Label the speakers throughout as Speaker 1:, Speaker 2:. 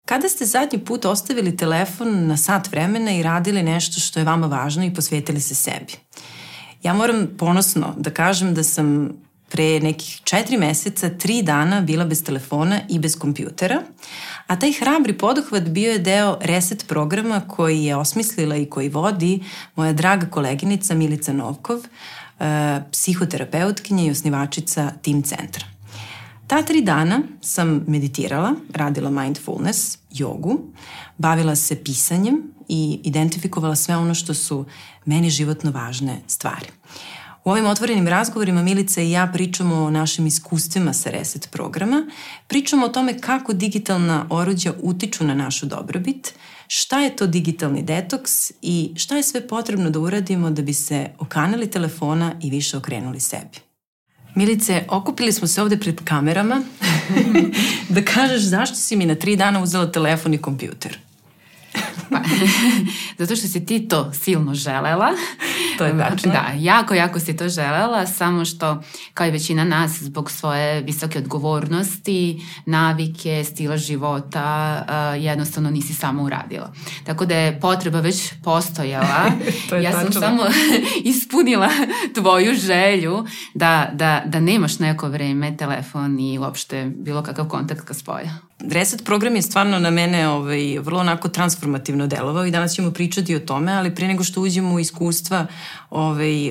Speaker 1: Kada ste zadnji put ostavili telefon na sat vremena i radili nešto što je vama važno i posvetili se sebi? Ja moram ponosno da kažem da sam pre nekih 4 meseca, 3 dana bila bez telefona i bez kompjutera, a taj hrabri poduhvat bio je deo reset programa koji je osmislila i koji vodi moja draga koleginica Milica Novkov, psihoterapeutkinja i osnivačica Tim centra. Ta 3 dana sam meditirala, radila mindfulness, jogu, bavila se pisanjem i identifikovala sve ono što su meni životno važne stvari. U ovim otvorenim razgovorima Milica i ja pričamo o našim iskustvima sa reset programa, pričamo o tome kako digitalna oruđa utiču na našu dobrobit, šta je to digitalni detoks i šta je sve potrebno da uradimo da bi se okanali telefona i više okrenuli sebi. Milice, okupili smo se ovde pred kamerama da kažeš zašto si mi na 3 dana uzela telefon i kompjuter.
Speaker 2: Pa, zato što si ti to silno želela.
Speaker 1: To je tačno.
Speaker 2: Da, jako si to želela, samo što, kao i većina nas, zbog svoje visoke odgovornosti, navike, stila života, jednostavno nisi samo uradila. Tako da je potreba već postojala. Ja sam samo ispunila tvoju želju da nemaš neko vreme telefon i uopšte bilo kakav kontakt ka spolja.
Speaker 1: Reset program je stvarno na mene vrlo onako transformativno delovao i danas ćemo pričati o tome, ali pre nego što uđemo u iskustva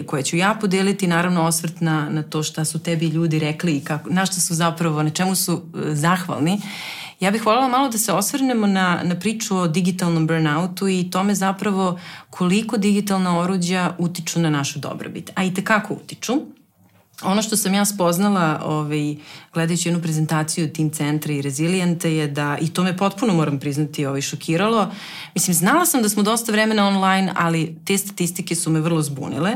Speaker 1: koje ću ja podeliti, naravno osvrt na to šta su tebi ljudi rekli i na šta su zapravo, na čemu su zahvalni. Ja bih voljela malo da se osvrnemo na priču o digitalnom burnoutu i tome zapravo koliko digitalna oruđa utiču na našu dobrobit, a i tekako utiču. Ono što sam ja spoznala gledajući jednu prezentaciju Tim centra i Rezilijenta je da, i to me potpuno moram priznati šokiralo, mislim znala sam da smo dosta vremena online, ali te statistike su me vrlo zbunile.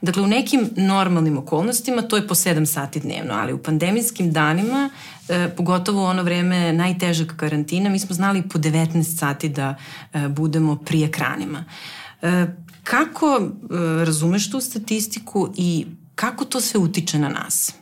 Speaker 1: Dakle, u nekim normalnim okolnostima to je po 7 sati dnevno, ali u pandemijskim danima, pogotovo u ono vreme najtežeg karantina, mi smo znali po 19 sati da budemo pri ekranima. Kako razumeš tu statistiku i kako to sve utiče na nas?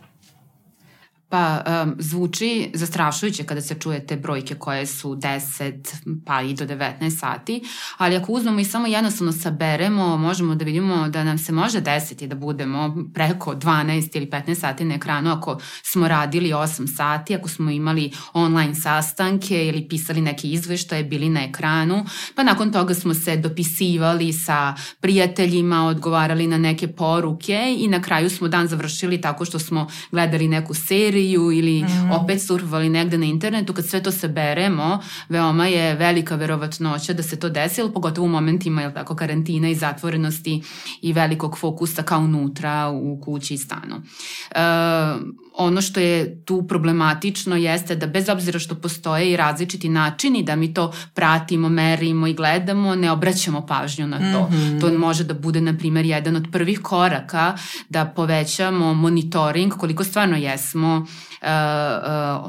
Speaker 2: Pa zvuči zastrašujuće kada se čuje te brojke koje su 10 pa i do 19 sati, ali ako uzmemo i samo jednostavno saberemo, možemo da vidimo da nam se može desiti da budemo preko 12 ili 15 sati na ekranu ako smo radili 8 sati, ako smo imali online sastanke ili pisali neke izveštaje, bili na ekranu, pa nakon toga smo se dopisivali sa prijateljima, odgovarali na neke poruke i na kraju smo dan završili tako što smo gledali neku seriju ili opet surfovali negde na internetu. Kad sve to saberemo, veoma je velika verovatnoća da se to desilo, pogotovo u momentima karantina i zatvorenosti i velikog fokusa kao unutra u kući i stanu. Ono što je tu problematično jeste da bez obzira što postoje i različiti načini da mi to pratimo, merimo i gledamo, ne obraćamo pažnju na to. To može da bude, na primjer, jedan od prvih koraka da povećamo monitoring koliko stvarno jesmo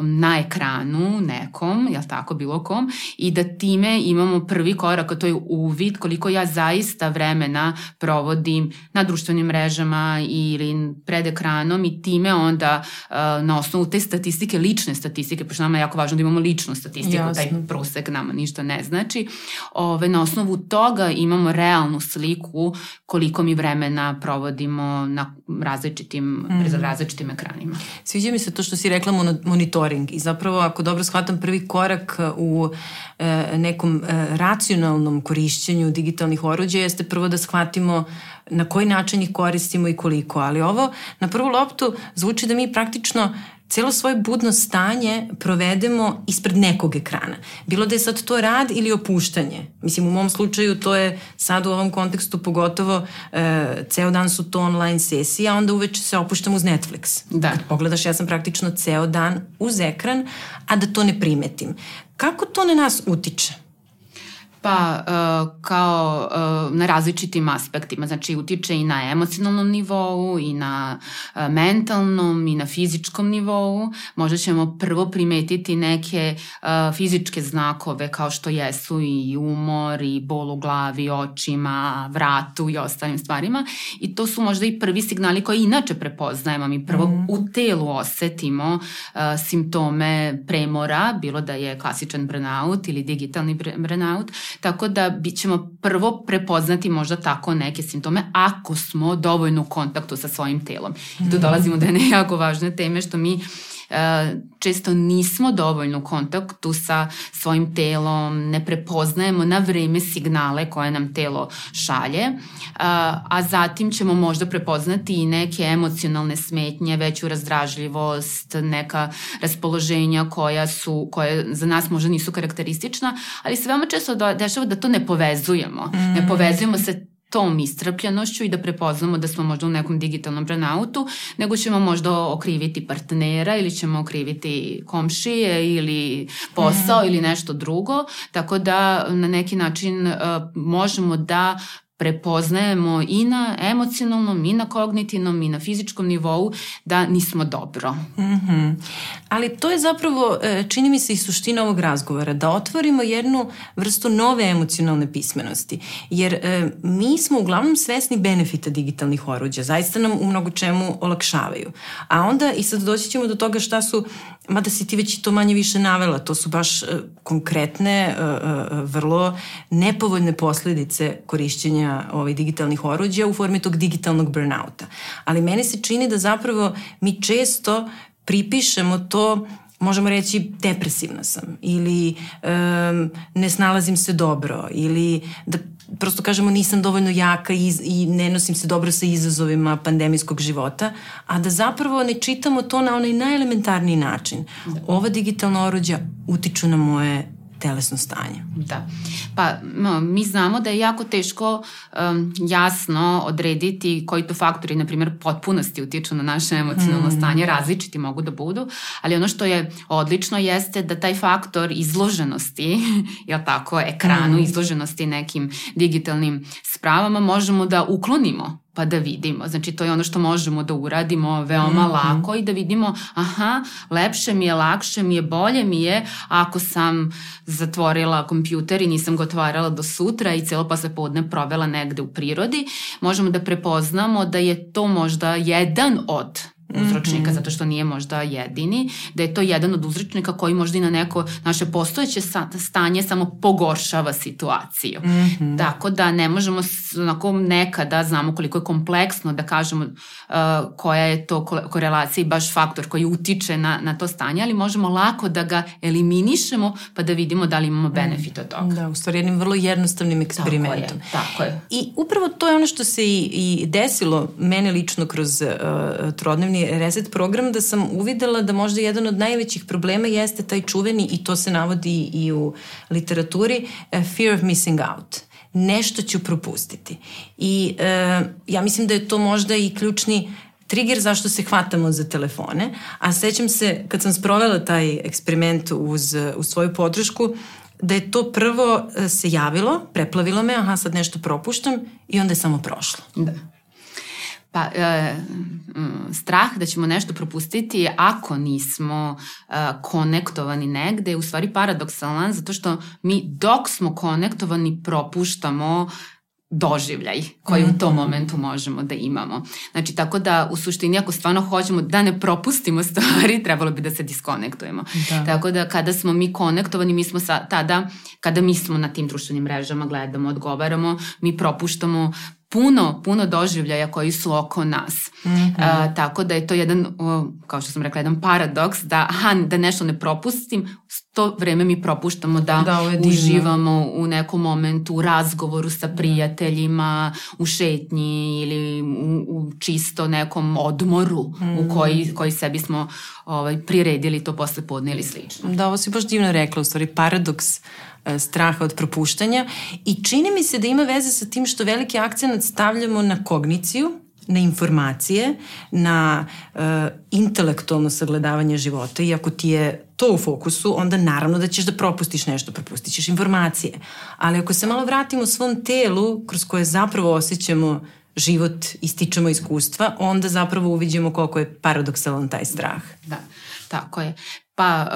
Speaker 2: na ekranu nekom, jel tako, bilo kom, i da time imamo prvi korak, a to je uvid koliko ja zaista vremena provodim na društvenim mrežama ili pred ekranom i time onda na osnovu te statistike, lične statistike, pošto nama je jako važno da imamo ličnu statistiku, jasno, taj prosek nama ništa ne znači, na osnovu toga imamo realnu sliku koliko mi vremena provodimo na različitim ekranima.
Speaker 1: Sviđa mi se to što si rekla monitoring i zapravo ako dobro shvatam prvi korak u nekom racionalnom korišćenju digitalnih oruđa jeste prvo da shvatimo na koji način ih koristimo i koliko, ali ovo na prvu loptu zvuči da mi praktično celo svoje budno stanje provedemo ispred nekog ekrana. Bilo da je sad to rad ili opuštanje. Mislim, u mom slučaju to je sad u ovom kontekstu pogotovo ceo dan su to online sesije, a onda uveče se opuštam uz Netflix.
Speaker 2: Da.
Speaker 1: Kad pogledaš, ja sam praktično ceo dan uz ekran, a da to ne primetim. Kako to na nas utiče?
Speaker 2: Pa kao na različitim aspektima, znači utiče i na emocionalnom nivou i na mentalnom i na fizičkom nivou. Možda ćemo prvo primetiti neke fizičke znakove kao što jesu i umor i bol u glavi, očima, vratu i ostalim stvarima i to su možda i prvi signali koji inače prepoznajemo. Mi prvo u telu osetimo simptome premora, bilo da je klasičan burnout ili digitalni burnout, tako da ćemo prvo prepoznati možda tako neke simptome ako smo dovoljno u kontaktu sa svojim telom. I tu dolazimo do jedne jako važne teme što mi često nismo dovoljno u kontaktu sa svojim telom, ne prepoznajemo na vreme signale koje nam telo šalje, a zatim ćemo možda prepoznati i neke emocionalne smetnje, veću razdražljivost, neka raspoloženja koje za nas možda nisu karakteristična, ali se veoma često dešava da to ne povezujemo. Ne povezujemo se tom istrpljenošću i da prepoznamo da smo možda u nekom digitalnom burnoutu, nego ćemo možda okriviti partnera ili ćemo okriviti komšije ili posao ili nešto drugo, tako da na neki način možemo da prepoznajemo i na emocionalnom, i na kognitivnom, i na fizičkom nivou da nismo dobro.
Speaker 1: Ali to je zapravo, čini mi se i suština ovog razgovora, da otvorimo jednu vrstu nove emocionalne pismenosti. Jer mi smo uglavnom svesni benefita digitalnih oruđa, zaista nam u mnogo čemu olakšavaju. A onda i sad doći ćemo do toga šta su, mada si ti već i to manje više navela, to su baš konkretne, vrlo nepovoljne posledice korišćenja digitalnih oruđa u formi tog digitalnog burnouta. Ali meni se čini da zapravo mi često pripišemo to, možemo reći depresivna sam ili ne snalazim se dobro ili da prosto kažemo nisam dovoljno jaka i ne nosim se dobro sa izazovima pandemijskog života, a da zapravo ne čitamo to na onaj najelementarniji način. Ova digitalna oruđa utiču na moje telesno stanje.
Speaker 2: Da. Pa mi znamo da je jako teško jasno odrediti koji to faktori, na primjer, potpunosti utiču na naše emocionalno stanje, različiti mogu da budu, ali ono što je odlično jeste da taj faktor izloženosti, jel tako, ekranu, izloženosti nekim digitalnim spravama možemo da uklonimo pa da vidimo. Znači, to je ono što možemo da uradimo veoma lako i da vidimo, lepše mi je, lakše mi je, bolje mi je ako sam zatvorila kompjuter i nisam ga otvarala do sutra i celo poslepodne provela negde u prirodi. Možemo da prepoznamo da je to možda jedan od uzročnika, zato što nije možda jedini, da je to jedan od uzročnika koji možda i na neko naše postojeće stanje samo pogoršava situaciju. Tako da ne možemo onako nekada, znamo koliko je kompleksno da kažemo koja je to korelacija i baš faktor koji utiče na to stanje, ali možemo lako da ga eliminišemo pa da vidimo da li imamo benefit od toga.
Speaker 1: Da, u stvari jednim vrlo jednostavnim eksperimentom.
Speaker 2: Tako je.
Speaker 1: I upravo to je ono što se i desilo mene lično kroz trodnevni reset program, da sam uvidela da možda jedan od najvećih problema jeste taj čuveni, i to se navodi i u literaturi, fear of missing out. Nešto ću propustiti. I ja mislim da je to možda i ključni trigger zašto se hvatamo za telefone, a sećam se kad sam sprovela taj eksperiment uz svoju podršku, da je to prvo se javilo, preplavilo me, sad nešto propuštam i onda je samo prošlo.
Speaker 2: Da. Pa, strah da ćemo nešto propustiti ako nismo konektovani negde je u stvari paradoksalan, zato što mi dok smo konektovani propuštamo doživljaj koji u tom momentu možemo da imamo. Znači, tako da u suštini ako stvarno hoćemo da ne propustimo stvari, trebalo bi da se diskonektujemo. Da. Tako da kada smo mi konektovani, mi smo tada, kada mi smo na tim društvenim mrežama, gledamo, odgovaramo, mi propuštamo puno doživljaja koji su oko nas. Tako da je to jedan, kao što sam rekla, jedan paradoks da nešto ne propustim, to vreme mi propuštamo da uživamo u nekom momentu, u razgovoru sa prijateljima, u šetnji ili u čisto nekom odmoru u koji sebi smo priredili to posle podne ili slično.
Speaker 1: Da, ovo si baš divno rekla, u stvari paradoks straha od propuštanja i čini mi se da ima veze sa tim što veliki akcenat stavljamo na kogniciju, na informacije, na intelektualno sagledavanje života i ako ti je to u fokusu, onda naravno da ćeš da propustit ćeš informacije. Ali ako se malo vratimo svom telu kroz koje zapravo osjećamo život i stičemo iskustva, onda zapravo uviđemo koliko je paradoksalan taj strah.
Speaker 2: Da, tako je. Pa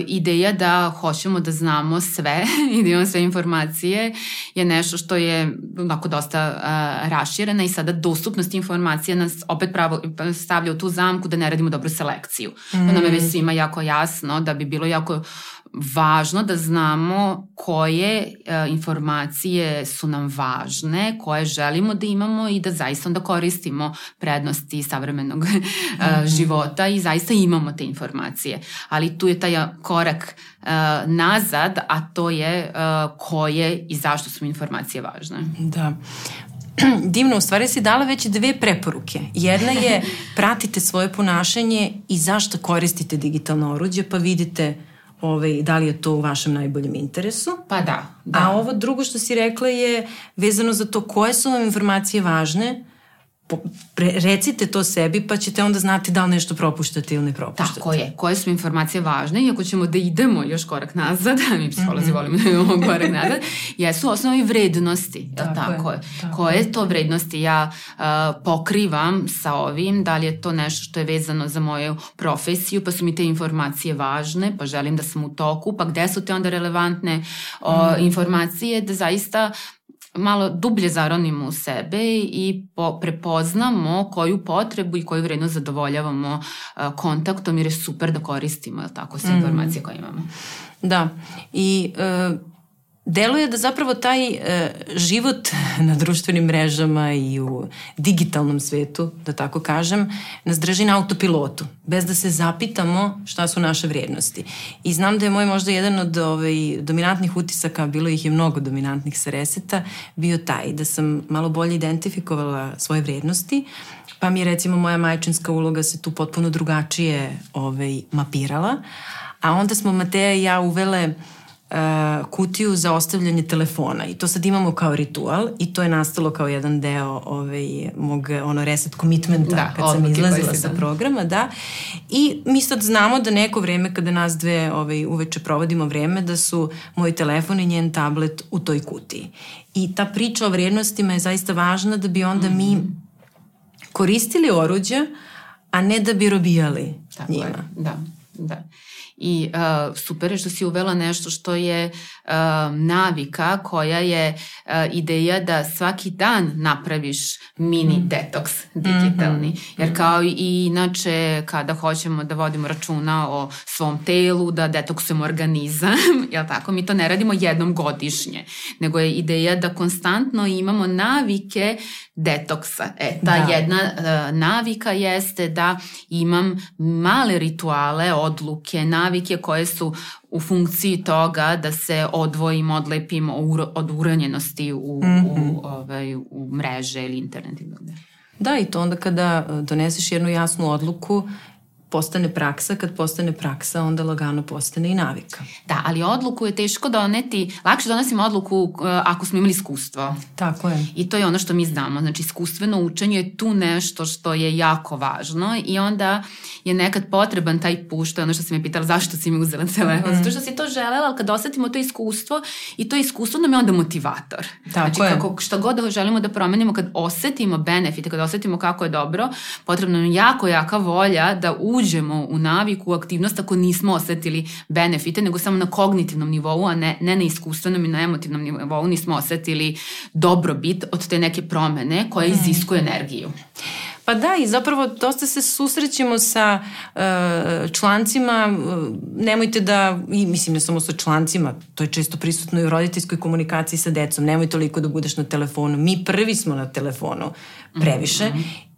Speaker 2: ideja da hoćemo da znamo sve i da imamo sve informacije je nešto što je onako dosta raširena i sada dostupnost informacija nas opet stavlja u tu zamku da ne radimo dobru selekciju. Nam je već svima jako jasno da bi bilo jako važno da znamo koje informacije su nam važne, koje želimo da imamo i da zaista onda koristimo prednosti savremenog života i zaista imamo te informacije. Ali tu je taj korak nazad, a to je koje i zašto su informacije važne.
Speaker 1: Da. Divno, u stvari si dala već 2 preporuke. Jedna je pratite svoje ponašanje i zašto koristite digitalno oruđe, pa vidite da li je to u vašem najboljem interesu.
Speaker 2: Pa da.
Speaker 1: A ovo drugo što si rekla je vezano za to koje su vam informacije važne, recite to sebi pa ćete onda znati da li nešto propuštate ili ne propuštate.
Speaker 2: Tako je, koje su informacije važne i ako ćemo da idemo još korak nazad, mi psiholozi volimo da idemo korak nazad, jesu osnovi vrednosti. Tako je. Koje to vrednosti ja pokrivam sa ovim, da li je to nešto što je vezano za moju profesiju, pa su mi te informacije važne, pa želim da sam u toku, pa gde su te onda relevantne informacije, da zaista malo dublje zaronimo u sebe i prepoznamo koju potrebu i koju vrednost zadovoljavamo kontaktom, jer je super da koristimo tako sve informacije koje imamo.
Speaker 1: Da, i deluje da zapravo taj život na društvenim mrežama i u digitalnom svetu, da tako kažem, nas drži na autopilotu, bez da se zapitamo šta su naše vrednosti. I znam da je moj možda jedan od dominantnih utisaka, bilo ih je mnogo dominantnih sa reseta, bio taj da sam malo bolje identifikovala svoje vrednosti, pa mi je recimo moja majčinska uloga se tu potpuno drugačije mapirala, a onda smo Mateja i ja uvele kutiju za ostavljanje telefona i to sad imamo kao ritual i to je nastalo kao jedan deo mog reset commitmenta kad sam izlazila sa programa, da. I mi sad znamo da neko vreme kada nas dve uveče provodimo vreme da su moj telefon i njen tablet u toj kutiji. I ta priča o vrednostima je zaista važna da bi onda mi koristili oruđe, a ne da bi robijali njima.
Speaker 2: Da. I super je što si uvela nešto što je navika koja je ideja da svaki dan napraviš mini detoks digitalni. Jer kao i inače kada hoćemo da vodimo računa o svom telu, da detoksujemo organizam, jel tako, mi to ne radimo jednom godišnje, nego je ideja da konstantno imamo navike detoksa. Ta jedna navika jeste da imam male rituale, odluke, navike koje su u funkciji toga da se odvojim, odlepim od uranjenosti u mreže ili internet.
Speaker 1: Da, i to onda kada doneseš jednu jasnu odluku, postane praksa, kad postane praksa, onda lagano postane i navika.
Speaker 2: Da, ali odluku je teško doneti, lakše donosimo odluku ako smo imali iskustvo.
Speaker 1: Tako je.
Speaker 2: I to je ono što mi znamo, znači iskustveno učenje je tu nešto što je jako važno i onda je nekad potreban taj puš, to je ono što si me pitala zašto si mi uzela telefon, zato što si to želela, ali kad osetimo to iskustvo i to iskustvo nam je onda motivator.
Speaker 1: Tako
Speaker 2: znači šta god želimo da promenimo, kad osetimo benefite, kad osetimo kako je dobro, potrebno nam jako jaka volja da uđemo u naviku, u aktivnost ako nismo osetili benefite, nego samo na kognitivnom nivou, a ne na iskustvenom i na emotivnom nivou nismo osetili dobrobit od te neke promene koja iziskuje energiju.
Speaker 1: Pa da, i zapravo dosta se susrećemo sa člancima, nemojte da, i mislim ne samo sa člancima, to je često prisutno i u roditeljskoj komunikaciji sa decom, nemoj toliko da budeš na telefonu, mi prvi smo na telefonu previše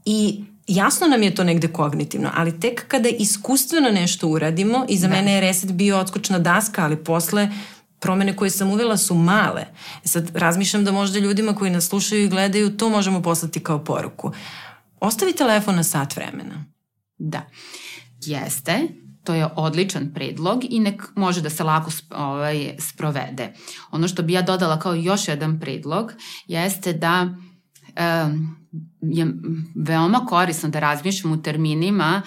Speaker 1: i jasno nam je to negde kognitivno, ali tek kada iskustveno nešto uradimo, i za mene je reset bio odskočna daska, ali posle promene koje sam uvela su male. Sad razmišljam da možda ljudima koji nas slušaju i gledaju to možemo poslati kao poruku. Ostavi telefon na sat vremena.
Speaker 2: Da, jeste. To je odličan predlog i nek može da se lako sprovede. Ono što bi ja dodala kao još jedan predlog jeste da je veoma korisno da razmišljam u terminima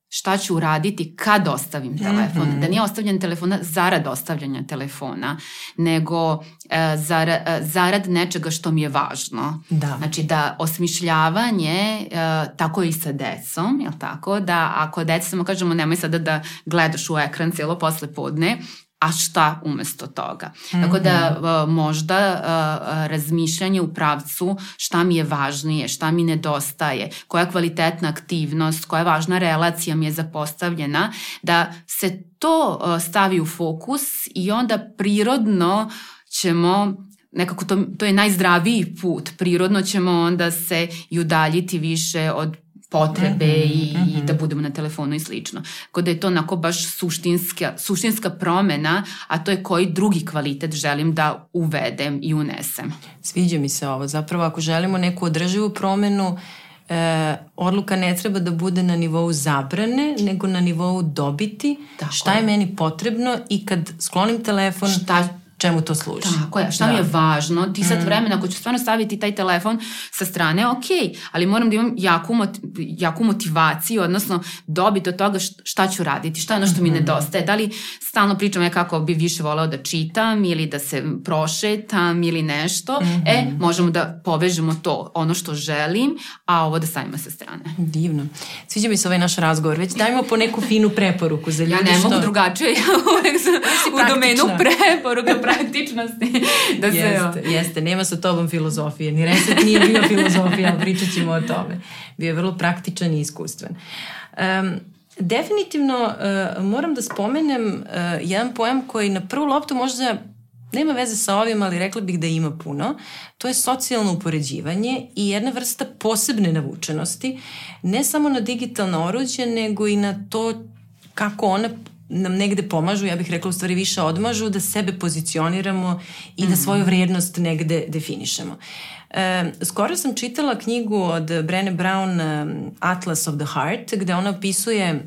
Speaker 2: šta ću uraditi kad ostavim telefon. Da nije ostavljanje telefona zarad ostavljanja telefona, nego zarad nečega što mi je važno.
Speaker 1: Da.
Speaker 2: Znači da osmišljavanje, tako i sa decom, jel tako? Da ako deca samo kažemo nemoj sada da gledaš u ekran cijelo posle podne, a šta umesto toga. Tako da možda razmišljanje u pravcu šta mi je važnije, šta mi nedostaje, koja kvalitetna aktivnost, koja važna relacija mi je zapostavljena, da se to stavi u fokus i onda prirodno ćemo, nekako to je najzdraviji put, prirodno ćemo onda se i udaljiti više od potrebe i da budemo na telefonu i slično. Tako da je to onako baš suštinska promena, a to je koji drugi kvalitet želim da uvedem i unesem.
Speaker 1: Sviđa mi se ovo. Zapravo ako želimo neku održivu promenu, odluka ne treba da bude na nivou zabrane, nego na nivou dobiti. Tako šta je meni potrebno i kad sklonim telefon, čemu to služi.
Speaker 2: Tako je, šta mi je važno, ti sad vremena, ako ću stvarno staviti taj telefon sa strane, ok, ali moram da imam jaku motivaciju, odnosno dobiti od toga šta ću raditi, šta je ono što mi nedostaje, da li stalno pričam kako bi više voleo da čitam ili da se prošetam ili nešto, možemo da povežemo to, ono što želim, a ovo da stavimo sa strane.
Speaker 1: Divno. Sviđa mi se ovaj naš razgovor, već dajmo po neku finu preporuku za ljudi.
Speaker 2: Ja ne mogu drugačije, ja uvek sam u domenu preporuka, praktičnosti.
Speaker 1: Jeste, nema sa tobom filozofije, ni reset nije bio filozofija, ali pričat ćemo o tome. Bio je vrlo praktičan i iskustven. Definitivno moram da spomenem jedan pojam koji na prvu loptu možda nema veze sa ovim, ali rekla bih da ima puno. To je socijalno upoređivanje i jedna vrsta posebne navučenosti, ne samo na digitalna oruđa, nego i na to kako ona nam negde pomažu, ja bih rekla u stvari više odmažu, da sebe pozicioniramo i da svoju vrijednost negde definišemo. Skoro sam čitala knjigu od Brené Brown, Atlas of the Heart, gde ona opisuje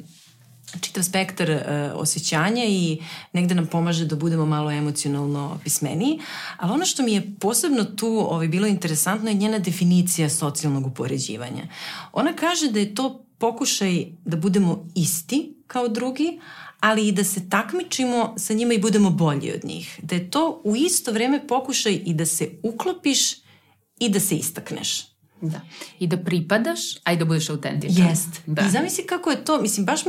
Speaker 1: čitav spektar osjećanja i negde nam pomaže da budemo malo emocionalno pismeniji, ali ono što mi je posebno tu bilo interesantno je njena definicija socijalnog upoređivanja. Ona kaže da je to pokušaj da budemo isti kao drugi, ali i da se takmičimo sa njima i budemo bolji od njih. Da je to u isto vreme pokušaj i da se uklopiš i da se istakneš.
Speaker 2: Da. I da pripadaš, a i da budeš autentičan.
Speaker 1: Jest. Da. I zamisli kako je to, mislim, baš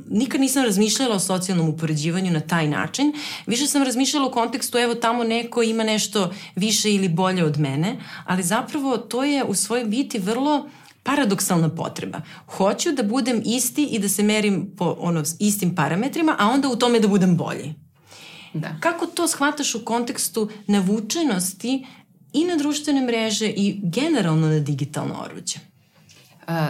Speaker 1: nikad nisam razmišljala o socijalnom upoređivanju na taj način. Više sam razmišljala u kontekstu, evo tamo neko ima nešto više ili bolje od mene, ali zapravo to je u svojoj biti vrlo paradoksalna potreba. Hoću da budem isti i da se merim po istim parametrima, a onda u tome da budem bolji.
Speaker 2: Da.
Speaker 1: Kako to shvataš u kontekstu navučenosti i na društvene mreže i generalno na digitalno oruđe?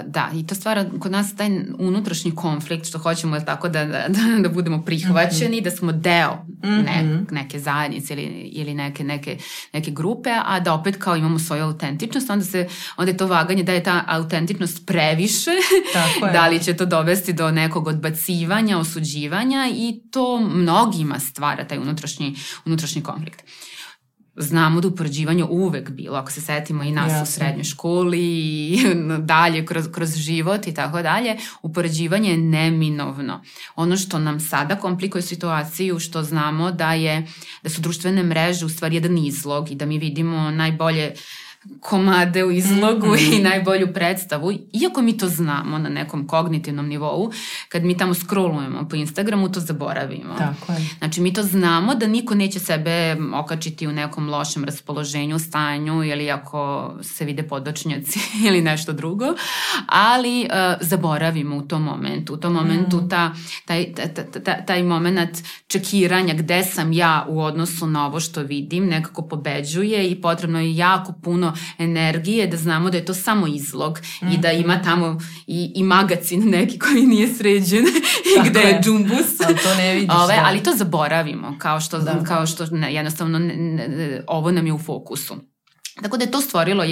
Speaker 2: Da, i to stvara kod nas taj unutrašnji konflikt što hoćemo je tako da budemo prihvaćeni, da smo deo neke zajednice ili neke grupe, a da opet kao imamo svoju autentičnost, onda je to vaganje da je ta autentičnost previše, da li će to dovesti do nekog odbacivanja, osuđivanja i to mnogima stvara taj unutrašnji konflikt. Znamo da upoređivanje uvek bilo, ako se setimo i nas u srednjoj školi i dalje kroz život i tako dalje, upoređivanje je neminovno. Ono što nam sada komplikuje situaciju, što znamo da su društvene mreže u stvari jedan izlog i da mi vidimo najbolje komade u izlogu i najbolju predstavu, iako mi to znamo na nekom kognitivnom nivou, kad mi tamo scrollujemo po Instagramu, to zaboravimo.
Speaker 1: Tako je.
Speaker 2: Znači, mi to znamo da niko neće sebe okačiti u nekom lošem raspoloženju, stanju ili ako se vide podočnjaci ili nešto drugo, ali zaboravimo u tom momentu. U tom momentu taj moment čekiranja gde sam ja u odnosu na ovo što vidim nekako pobeđuje i potrebno je jako puno energije da znamo da je to samo izlog i da ima tamo i magacin neki koji nije sređen i gde je džumbus.
Speaker 1: Ali to ne vidiš.
Speaker 2: Ali to zaboravimo kao što jednostavno ovo nam je u fokusu. Tako da je to stvorilo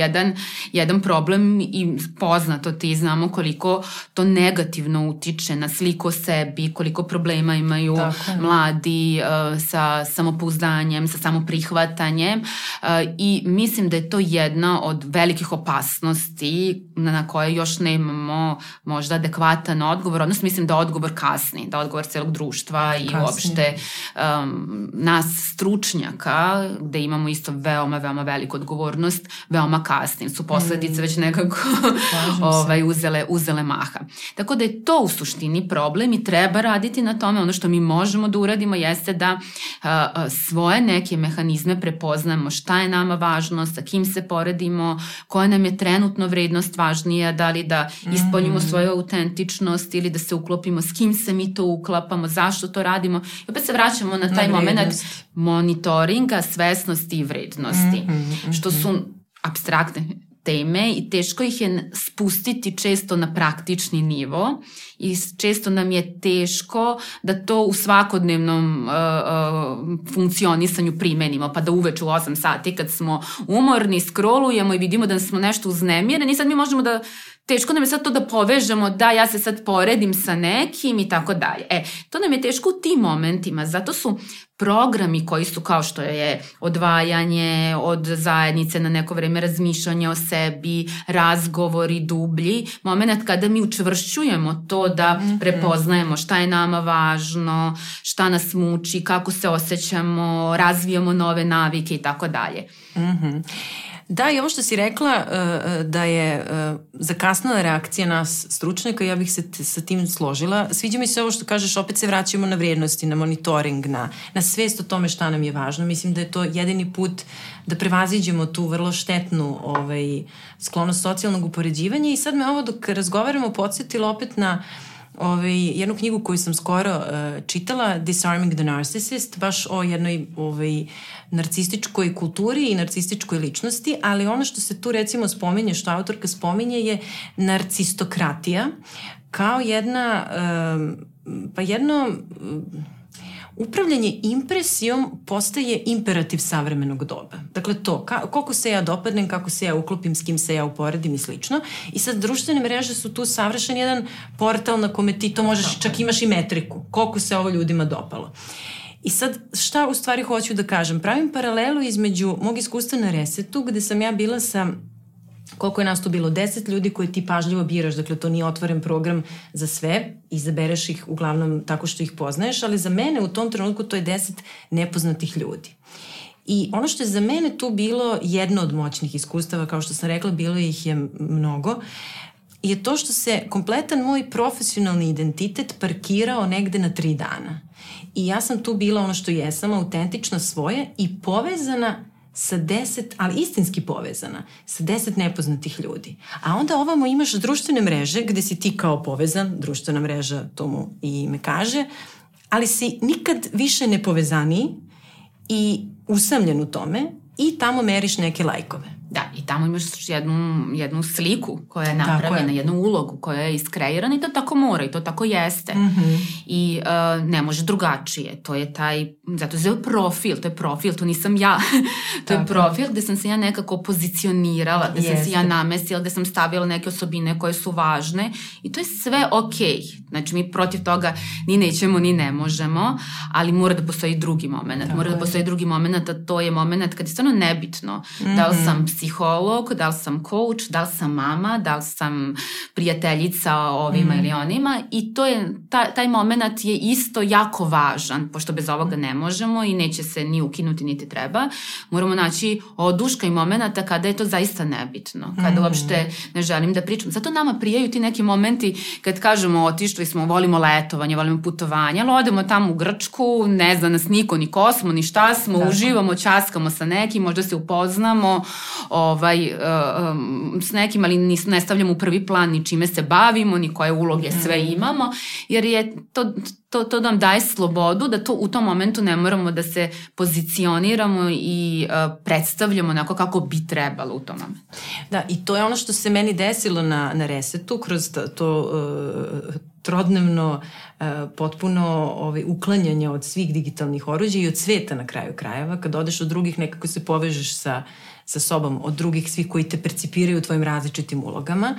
Speaker 2: jedan problem i poznato ti znamo koliko to negativno utiče na sliku o sebi, koliko problema imaju mladi sa samopouzdanjem, sa samoprihvatanjem i mislim da je to jedna od velikih opasnosti na koje još nemamo možda adekvatan odgovor, odnosno mislim da odgovor kasni, da odgovor celog društva i uopšte nas stručnjaka, gde imamo isto veoma, veoma veliku odgovornost, veoma kasnim, su posledice već nekako uzele maha. Tako da je to u suštini problem i treba raditi na tome. Ono što mi možemo da uradimo jeste da svoje neke mehanizme prepoznamo, šta je nama važno, sa kim se poredimo, koja nam je trenutno vrednost važnija, da li da ispoljimo svoju autentičnost ili da se uklopimo, s kim se mi to uklapamo, zašto to radimo. I opet se vraćamo na taj moment monitoringa, svesnosti i vrednosti, što su apstraktne teme i teško ih je spustiti često na praktični nivo i često nam je teško da to u svakodnevnom funkcionisanju primenimo, pa da uveče u 8 sati kad smo umorni scrollujemo i vidimo da smo nešto uznemireni i sad mi možemo da teško nam je sad to da povežemo, da ja se sad poredim sa nekim i tako dalje. To nam je teško u tim momentima, zato su programi koji su kao što je odvajanje od zajednice na neko vreme, razmišljanje o sebi, razgovori dublji, moment kada mi učvršćujemo to da prepoznajemo šta je nama važno, šta nas muči, kako se osjećamo, razvijamo nove navike i tako dalje.
Speaker 1: Da, i ovo što si rekla da je zakasnala reakcija nas stručnjaka, ja bih se sa tim složila. Sviđa mi se ovo što kažeš, opet se vraćamo na vrijednosti, na monitoring, na svest o tome šta nam je važno. Mislim da je to jedini put da prevaziđemo tu vrlo štetnu sklonost socijalnog upoređivanja i sad me ovo dok razgovaramo podsjetilo opet na jednu knjigu koju sam skoro čitala, Disarming the Narcissist, baš o jednoj narcističkoj kulturi i narcističkoj ličnosti, ali ono što se tu recimo spominje, što autorka spominje je narcistokratija kao jedno upravljanje impresijom postaje imperativ savremenog doba. Dakle to, koliko se ja dopadnem, kako se ja uklopim, s kim se ja uporedim i slično. I sad društvene mreže su tu savršen jedan portal na kome ti to možeš, čak imaš i metriku, koliko se ovo ljudima dopalo. I sad šta u stvari hoću da kažem? Pravim paralelu između mog iskustva na Resetu, gde sam ja bila sa koliko je nas tu bilo, 10 ljudi koje ti pažljivo biraš, dakle to nije otvoren program za sve, izabereš ih uglavnom tako što ih poznaješ, ali za mene u tom trenutku to je 10 nepoznatih ljudi. I ono što je za mene tu bilo jedno od moćnih iskustava, kao što sam rekla, bilo ih je mnogo, je to što se kompletan moj profesionalni identitet parkirao negde na 3 dana. I ja sam tu bila ono što jesam, autentična svoje i povezana sa 10, ali istinski povezana, sa 10 nepoznatih ljudi. A onda ovamo imaš društvene mreže gde si ti kao povezan, društvena mreža to mu i ime kaže, ali si nikad više nepovezaniji i usamljen u tome i tamo meriš neke lajkove.
Speaker 2: Da, i tamo imaš jednu sliku koja je napravljena, jednu ulogu koja je iskreirana i to tako mora i to tako jeste. I ne može drugačije. To je taj, zato je profil, to je profil, to nisam ja. To je profil gde sam se ja nekako pozicionirala, gde sam se ja namestila, gde sam stavila neke osobine koje su važne i to je sve okej. Znači mi protiv toga ni nećemo, ni ne možemo, ali mora da postoji drugi moment. Mora da postoji drugi moment, a to je moment kad je stvarno nebitno da li sam psiholog, da li sam coach, da li sam mama, da li sam prijateljica ovima ili onima i to je, taj moment je isto jako važan, pošto bez ovoga ne možemo i neće se ni ukinuti niti treba. Moramo naći oduška i momenta kada je to zaista nebitno, kada uopšte ne želim da pričam. Zato nama prijaju ti neki momenti kad kažemo otišli smo, volimo letovanje, volimo putovanje, ali odemo tamo u Grčku, ne zna nas niko, ni ko smo, ni šta smo, uživamo, ćaskamo sa nekim, možda se upoznamo s nekim, ali ne stavljamo u prvi plan ni čime se bavimo, ni koje uloge sve imamo, jer je to nam daje slobodu da u tom momentu ne moramo da se pozicioniramo i predstavljamo onako kako bi trebalo u tom momentu.
Speaker 1: Da, i to je ono što se meni desilo na Resetu kroz trodnevno potpuno uklanjanje od svih digitalnih oruđa i od sveta na kraju krajeva. Kad odeš od drugih, nekako se povežeš sa sobom, od drugih svih koji te percipiraju u tvojim različitim ulogama.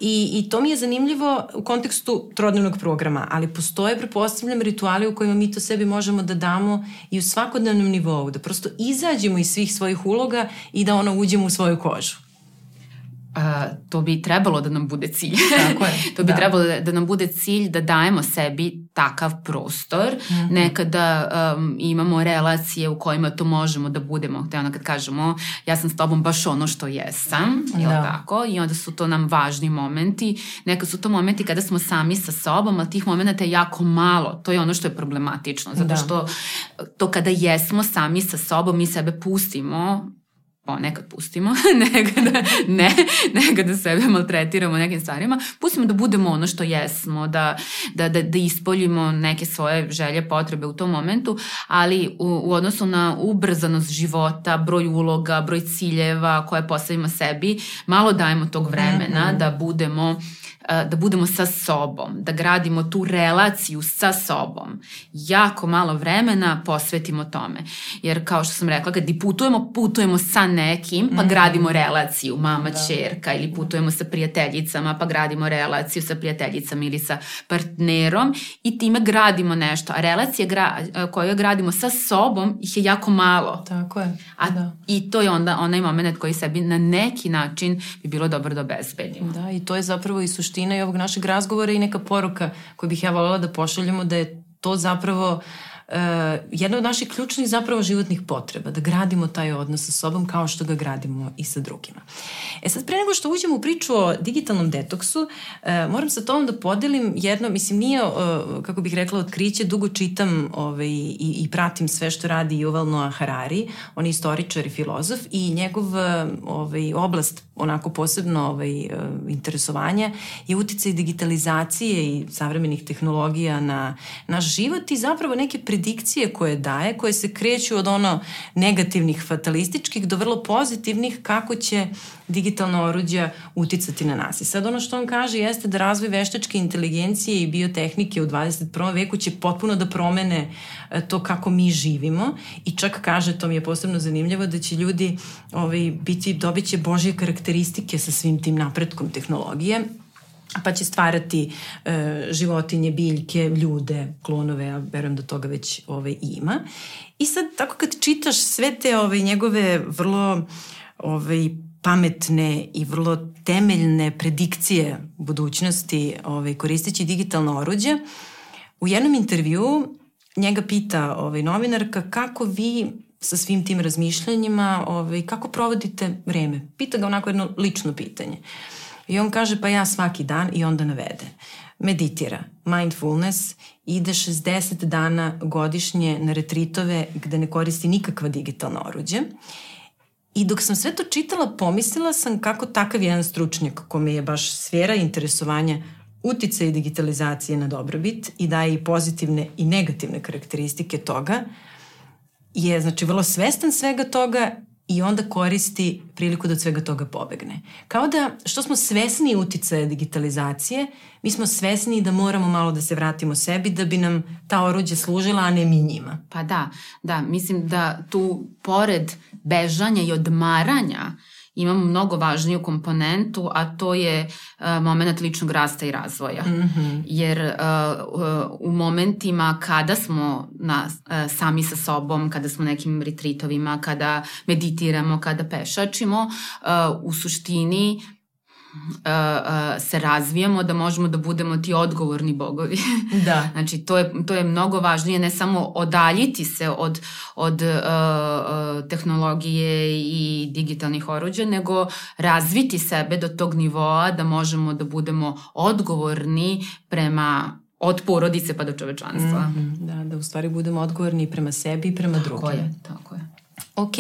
Speaker 1: I to mi je zanimljivo u kontekstu trodnevnog programa, ali postoje, prepostavljam, rituali u kojima mi to sebi možemo da damo i u svakodnevnom nivou, da prosto izađemo iz svih svojih uloga i da uđemo u svoju kožu.
Speaker 2: To bi trebalo da nam bude cilj.
Speaker 1: Tako je.
Speaker 2: To bi trebalo da nam bude cilj da dajemo sebi takav prostor. Nekada imamo relacije u kojima to možemo da budemo. Te kad kažemo ja sam s tobom baš ono što jesam, tako? I onda su to nam važni momenti. Nekad su to momenti kada smo sami sa sobom, ali tih momenta je jako malo. To je ono što je problematično. Zato što to kada jesmo sami sa sobom, mi sebe pustimo, nekad pustimo, nekada sebe maltretiramo nekim stvarima, pustimo da budemo ono što jesmo, da ispoljimo neke svoje želje, potrebe u tom momentu, ali u odnosu na ubrzanost života, broj uloga, broj ciljeva koje postavimo sebi, malo dajemo tog vremena da budemo sa sobom, da gradimo tu relaciju sa sobom. Jako malo vremena posvetimo tome. Jer kao što sam rekla, kad putujemo sa nekim, pa gradimo relaciju, mama, ćerka, ili putujemo sa prijateljicama, pa gradimo relaciju sa prijateljicama ili sa partnerom i time gradimo nešto. A relacije koje gradimo sa sobom ih je jako malo.
Speaker 1: Tako je.
Speaker 2: I to je onda onaj moment koji sebi na neki način bi bilo dobro da obezbedimo.
Speaker 1: Da, i to je zapravo i suština i ovog našeg razgovora i neka poruka koju bih ja voljela da pošaljemo, da je to zapravo jedna od naših ključnih zapravo životnih potreba, da gradimo taj odnos sa sobom kao što ga gradimo i sa drugima. Sad, pre nego što uđemo u priču o digitalnom detoksu, moram sa tobom da podelim jedno, mislim, nije, kako bih rekla, otkriće, dugo čitam i pratim sve što radi Yuval Noah Harari, on je istoričar i filozof, i njegov oblast, onako posebno interesovanja, je uticaj digitalizacije i savremenih tehnologija na naš život i zapravo neke predikcije koje daje, koje se kreću od negativnih, fatalističkih do vrlo pozitivnih, kako će digitalna oruđa uticati na nas. I sad što on kaže jeste da razvoj veštačke inteligencije i biotehnike u 21. veku će potpuno da promene to kako mi živimo, i čak kaže, to mi je posebno zanimljivo, da će ljudi dobit će božje karakteristike sa svim tim napretkom tehnologije, pa će stvarati životinje, biljke, ljude, klonove, ja verujem da toga već ima. I sad, tako kad čitaš sve te njegove vrlo pametne i vrlo temeljne predikcije budućnosti koristeći digitalno oruđe, u jednom intervjuu njega pita novinarka kako vi sa svim tim razmišljanjima, kako provodite vreme. Pita ga onako jedno lično pitanje. I on kaže, pa ja svaki dan, i onda navede. Meditira, mindfulness, ide 60 dana godišnje na retritove gde ne koristi nikakva digitalna oruđe. I dok sam sve to čitala, pomislila sam kako takav jedan stručnjak, kome je baš sfera interesovanja uticaj digitalizacije na dobrobit i daje i pozitivne i negativne karakteristike toga, je znači vrlo svestan svega toga i onda koristi priliku da od svega toga pobegne. Kao da, što smo svesni uticaja digitalizacije, mi smo svesni da moramo malo da se vratimo sebi da bi nam ta oruđa služila, a ne mi njima.
Speaker 2: Pa da, mislim da tu pored bežanja i odmaranja imamo mnogo važniju komponentu, a to je moment ličnog rasta i razvoja. Jer u momentima kada smo sami sa sobom, kada smo nekim retritovima, kada meditiramo, kada pešačimo, u suštini se razvijamo da možemo da budemo ti odgovorni bogovi.
Speaker 1: Da.
Speaker 2: Znači, to je mnogo važnije, ne samo odaljiti se od tehnologije i digitalnih oruđa, nego razviti sebe do tog nivoa da možemo da budemo odgovorni od porodice pa do čovečanstva.
Speaker 1: Da u stvari budemo odgovorni prema sebi i prema drugima.
Speaker 2: Tako je.
Speaker 1: Ok,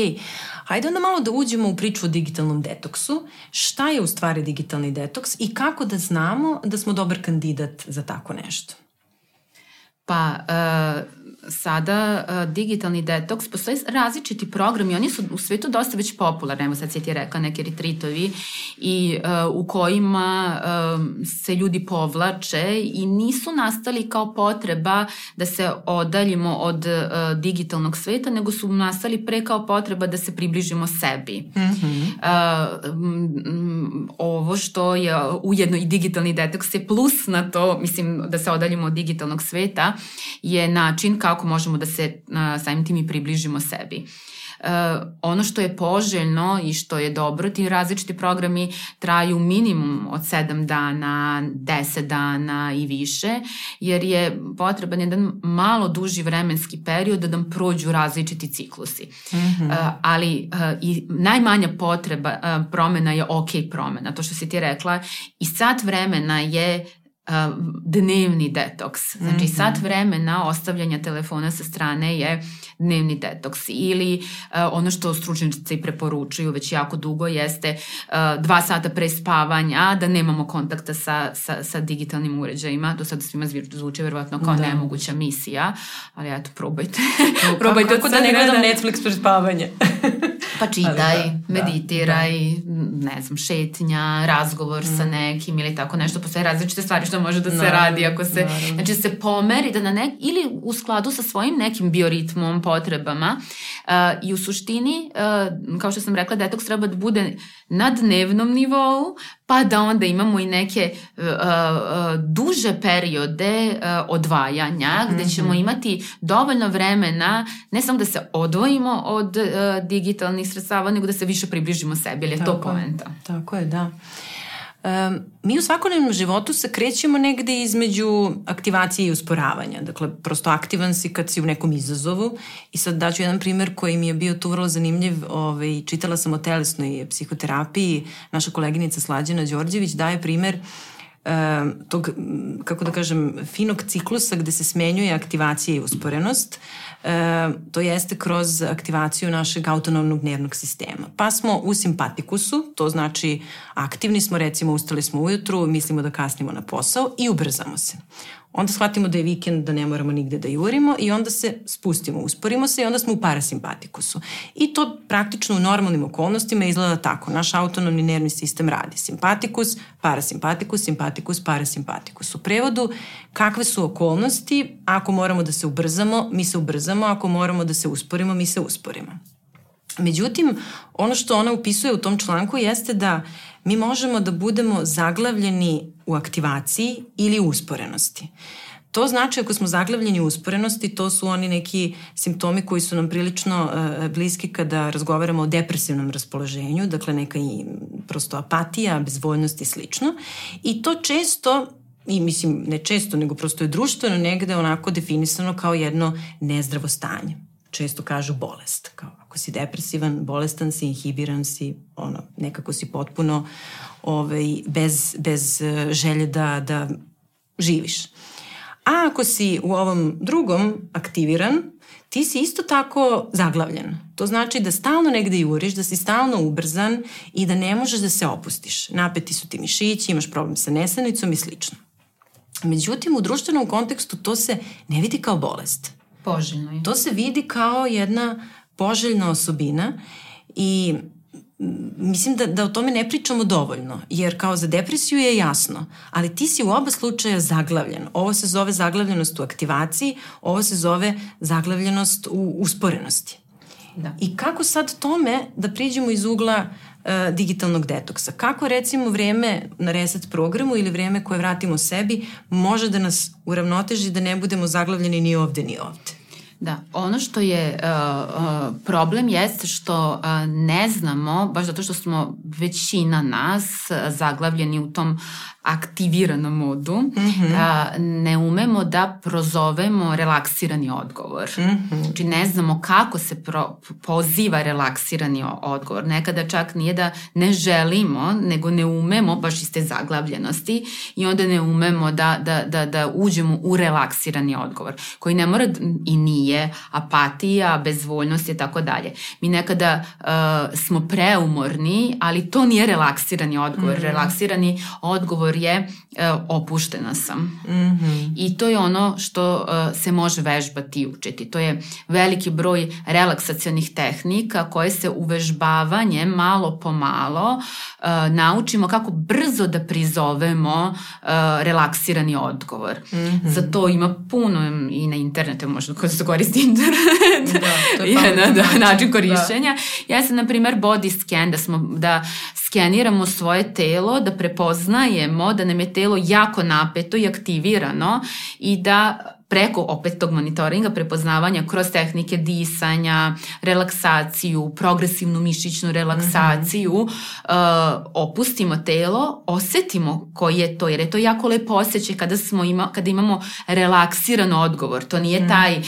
Speaker 1: hajde onda malo da uđemo u priču o digitalnom detoksu. Šta je u stvari digitalni detoks i kako da znamo da smo dobar kandidat za tako nešto?
Speaker 2: Pa, sada digitalni detoks, postoje različiti programi, oni su u svetu dosta već popularni, evo sad si ti rekla neki retritovi i u kojima se ljudi povlače i nisu nastali kao potreba da se odaljimo od digitalnog sveta, nego su nastali pre kao potreba da se približimo sebi. Ovo što je ujedno i digitalni detoks je plus na to, mislim, da se odaljimo od digitalnog sveta, je način kako možemo da se samim tim i približimo sebi. Ono što je poželjno i što je dobro, ti različiti programi traju minimum od 7 dana, 10 dana i više, jer je potreban jedan malo duži vremenski period da nam prođu različiti ciklusi. Ali i najmanja potreba promena je ok promena, to što si ti rekla, i sat vremena je dnevni detoks. Znači sat vremena ostavljanja telefona sa strane je dnevni detoks. Ili ono što stručnjaci preporučuju već jako dugo jeste 2 sata pre spavanja da nemamo kontakta sa digitalnim uređajima. Do sada svima zvuči verovatno kao nemoguća misija, ali eto, probajte. Probajte
Speaker 1: kako da ne gledam Netflix pre spavanja?
Speaker 2: Pa čitaj, meditiraj, ne znam, šetnja, razgovor sa nekim ili tako nešto. Postoje različite stvari što može da se radi ako se, znači se pomeri da ili u skladu sa svojim nekim bioritmom, potrebama i u suštini, kao što sam rekla, detoks treba da bude na dnevnom nivou, pa da onda imamo i neke duže periode odvajanja gde ćemo imati dovoljno vremena ne samo da se odvojimo od digitalnih sredstava, nego da se više približimo sebi, ili je to poenta?
Speaker 1: Tako je, da. Mi u svakodnevnom životu se krećemo negde između aktivacije i usporavanja. Dakle, prosto aktivan si kad si u nekom izazovu i sad daću jedan primer koji mi je bio tu vrlo zanimljiv. Čitala sam o telesnoj psihoterapiji. Naša koleginica Slađana Đorđević daje primer tog, kako da kažem, finog ciklusa gde se smenjuje aktivacija i usporenost. To jeste kroz aktivaciju našeg autonomnog nervnog sistema. Pa smo u simpatikusu, to znači aktivni smo, recimo ustali smo ujutru, mislimo da kasnimo na posao i ubrzamo se. Onda shvatimo da je vikend, da ne moramo nigde da jurimo i onda se spustimo, usporimo se i onda smo u parasimpatikusu. I to praktično u normalnim okolnostima izgleda tako. Naš autonomni nervni sistem radi simpatikus, parasimpatikus, simpatikus, parasimpatikus. U prevodu, kakve su okolnosti, ako moramo da se ubrzamo, mi se ubrzamo, ako moramo da se usporimo, mi se usporimo. Međutim, ono što ona upisuje u tom članku jeste da mi možemo da budemo zaglavljeni u aktivaciji ili u usporenosti. To znači ako smo zaglavljeni u usporenosti, to su oni neki simptomi koji su nam prilično bliski kada razgovaramo o depresivnom raspoloženju, dakle neka i prosto apatija, bezvoljnost i slično. I to često, i mislim ne često, nego prosto je društveno negde onako definisano kao jedno nezdravo stanje. Često kažu bolest, kao ako si depresivan, bolestan si, inhibiran si, nekako si potpuno bez želje da živiš. A ako si u ovom drugom aktiviran, ti si isto tako zaglavljen. To znači da stalno negde juriš, da si stalno ubrzan i da ne možeš da se opustiš. Napeti su ti mišići, imaš problem sa nesanicom i slično. Međutim, u društvenom kontekstu to se ne vidi kao bolest.
Speaker 2: Poželjno je.
Speaker 1: To se vidi kao jedna poželjna osobina i mislim da o tome ne pričamo dovoljno, jer kao za depresiju je jasno, ali ti si u oba slučaja zaglavljen. Ovo se zove zaglavljenost u aktivaciji, ovo se zove zaglavljenost u usporenosti. Da. I kako sad tome da priđemo iz ugla digitalnog detoksa? Kako recimo vreme na reset programu ili vreme koje vratimo sebi može da nas uravnoteži da ne budemo zaglavljeni ni ovde ni ovde?
Speaker 2: Da, ono što je problem jeste što ne znamo, baš zato što smo većina nas zaglavljeni u tom aktiviranom modu, ne umemo da prozovemo relaksirani odgovor. Znači ne znamo kako se poziva relaksirani odgovor. Nekada čak nije da ne želimo, nego ne umemo baš iz te zaglavljenosti i onda ne umemo da uđemo u relaksirani odgovor, koji ne mora i nije nije apatija, bezvoljnost i tako dalje. Mi nekada smo preumorni, ali to nije relaksirani odgovor. Relaksirani odgovor je opuštena sam. I to je ono što se može vežbati i učiti. To je veliki broj relaksacionih tehnika koje se uvežbavanjem malo po malo naučimo kako brzo da prizovemo relaksirani odgovor. Za to ima puno i na internetu, možda ko se koristi internet.
Speaker 1: To je
Speaker 2: način korišćenja. Ja sam, na primer, body scan, da skeniramo svoje telo, da prepoznajemo da nam je telo jako napeto i aktivirano i da preko opet tog monitoringa, prepoznavanja kroz tehnike disanja, relaksaciju, progresivnu mišićnu relaksaciju, opustimo telo, osetimo koji je to, jer je to jako lepo osjećaj kada imamo relaksiran odgovor. To nije taj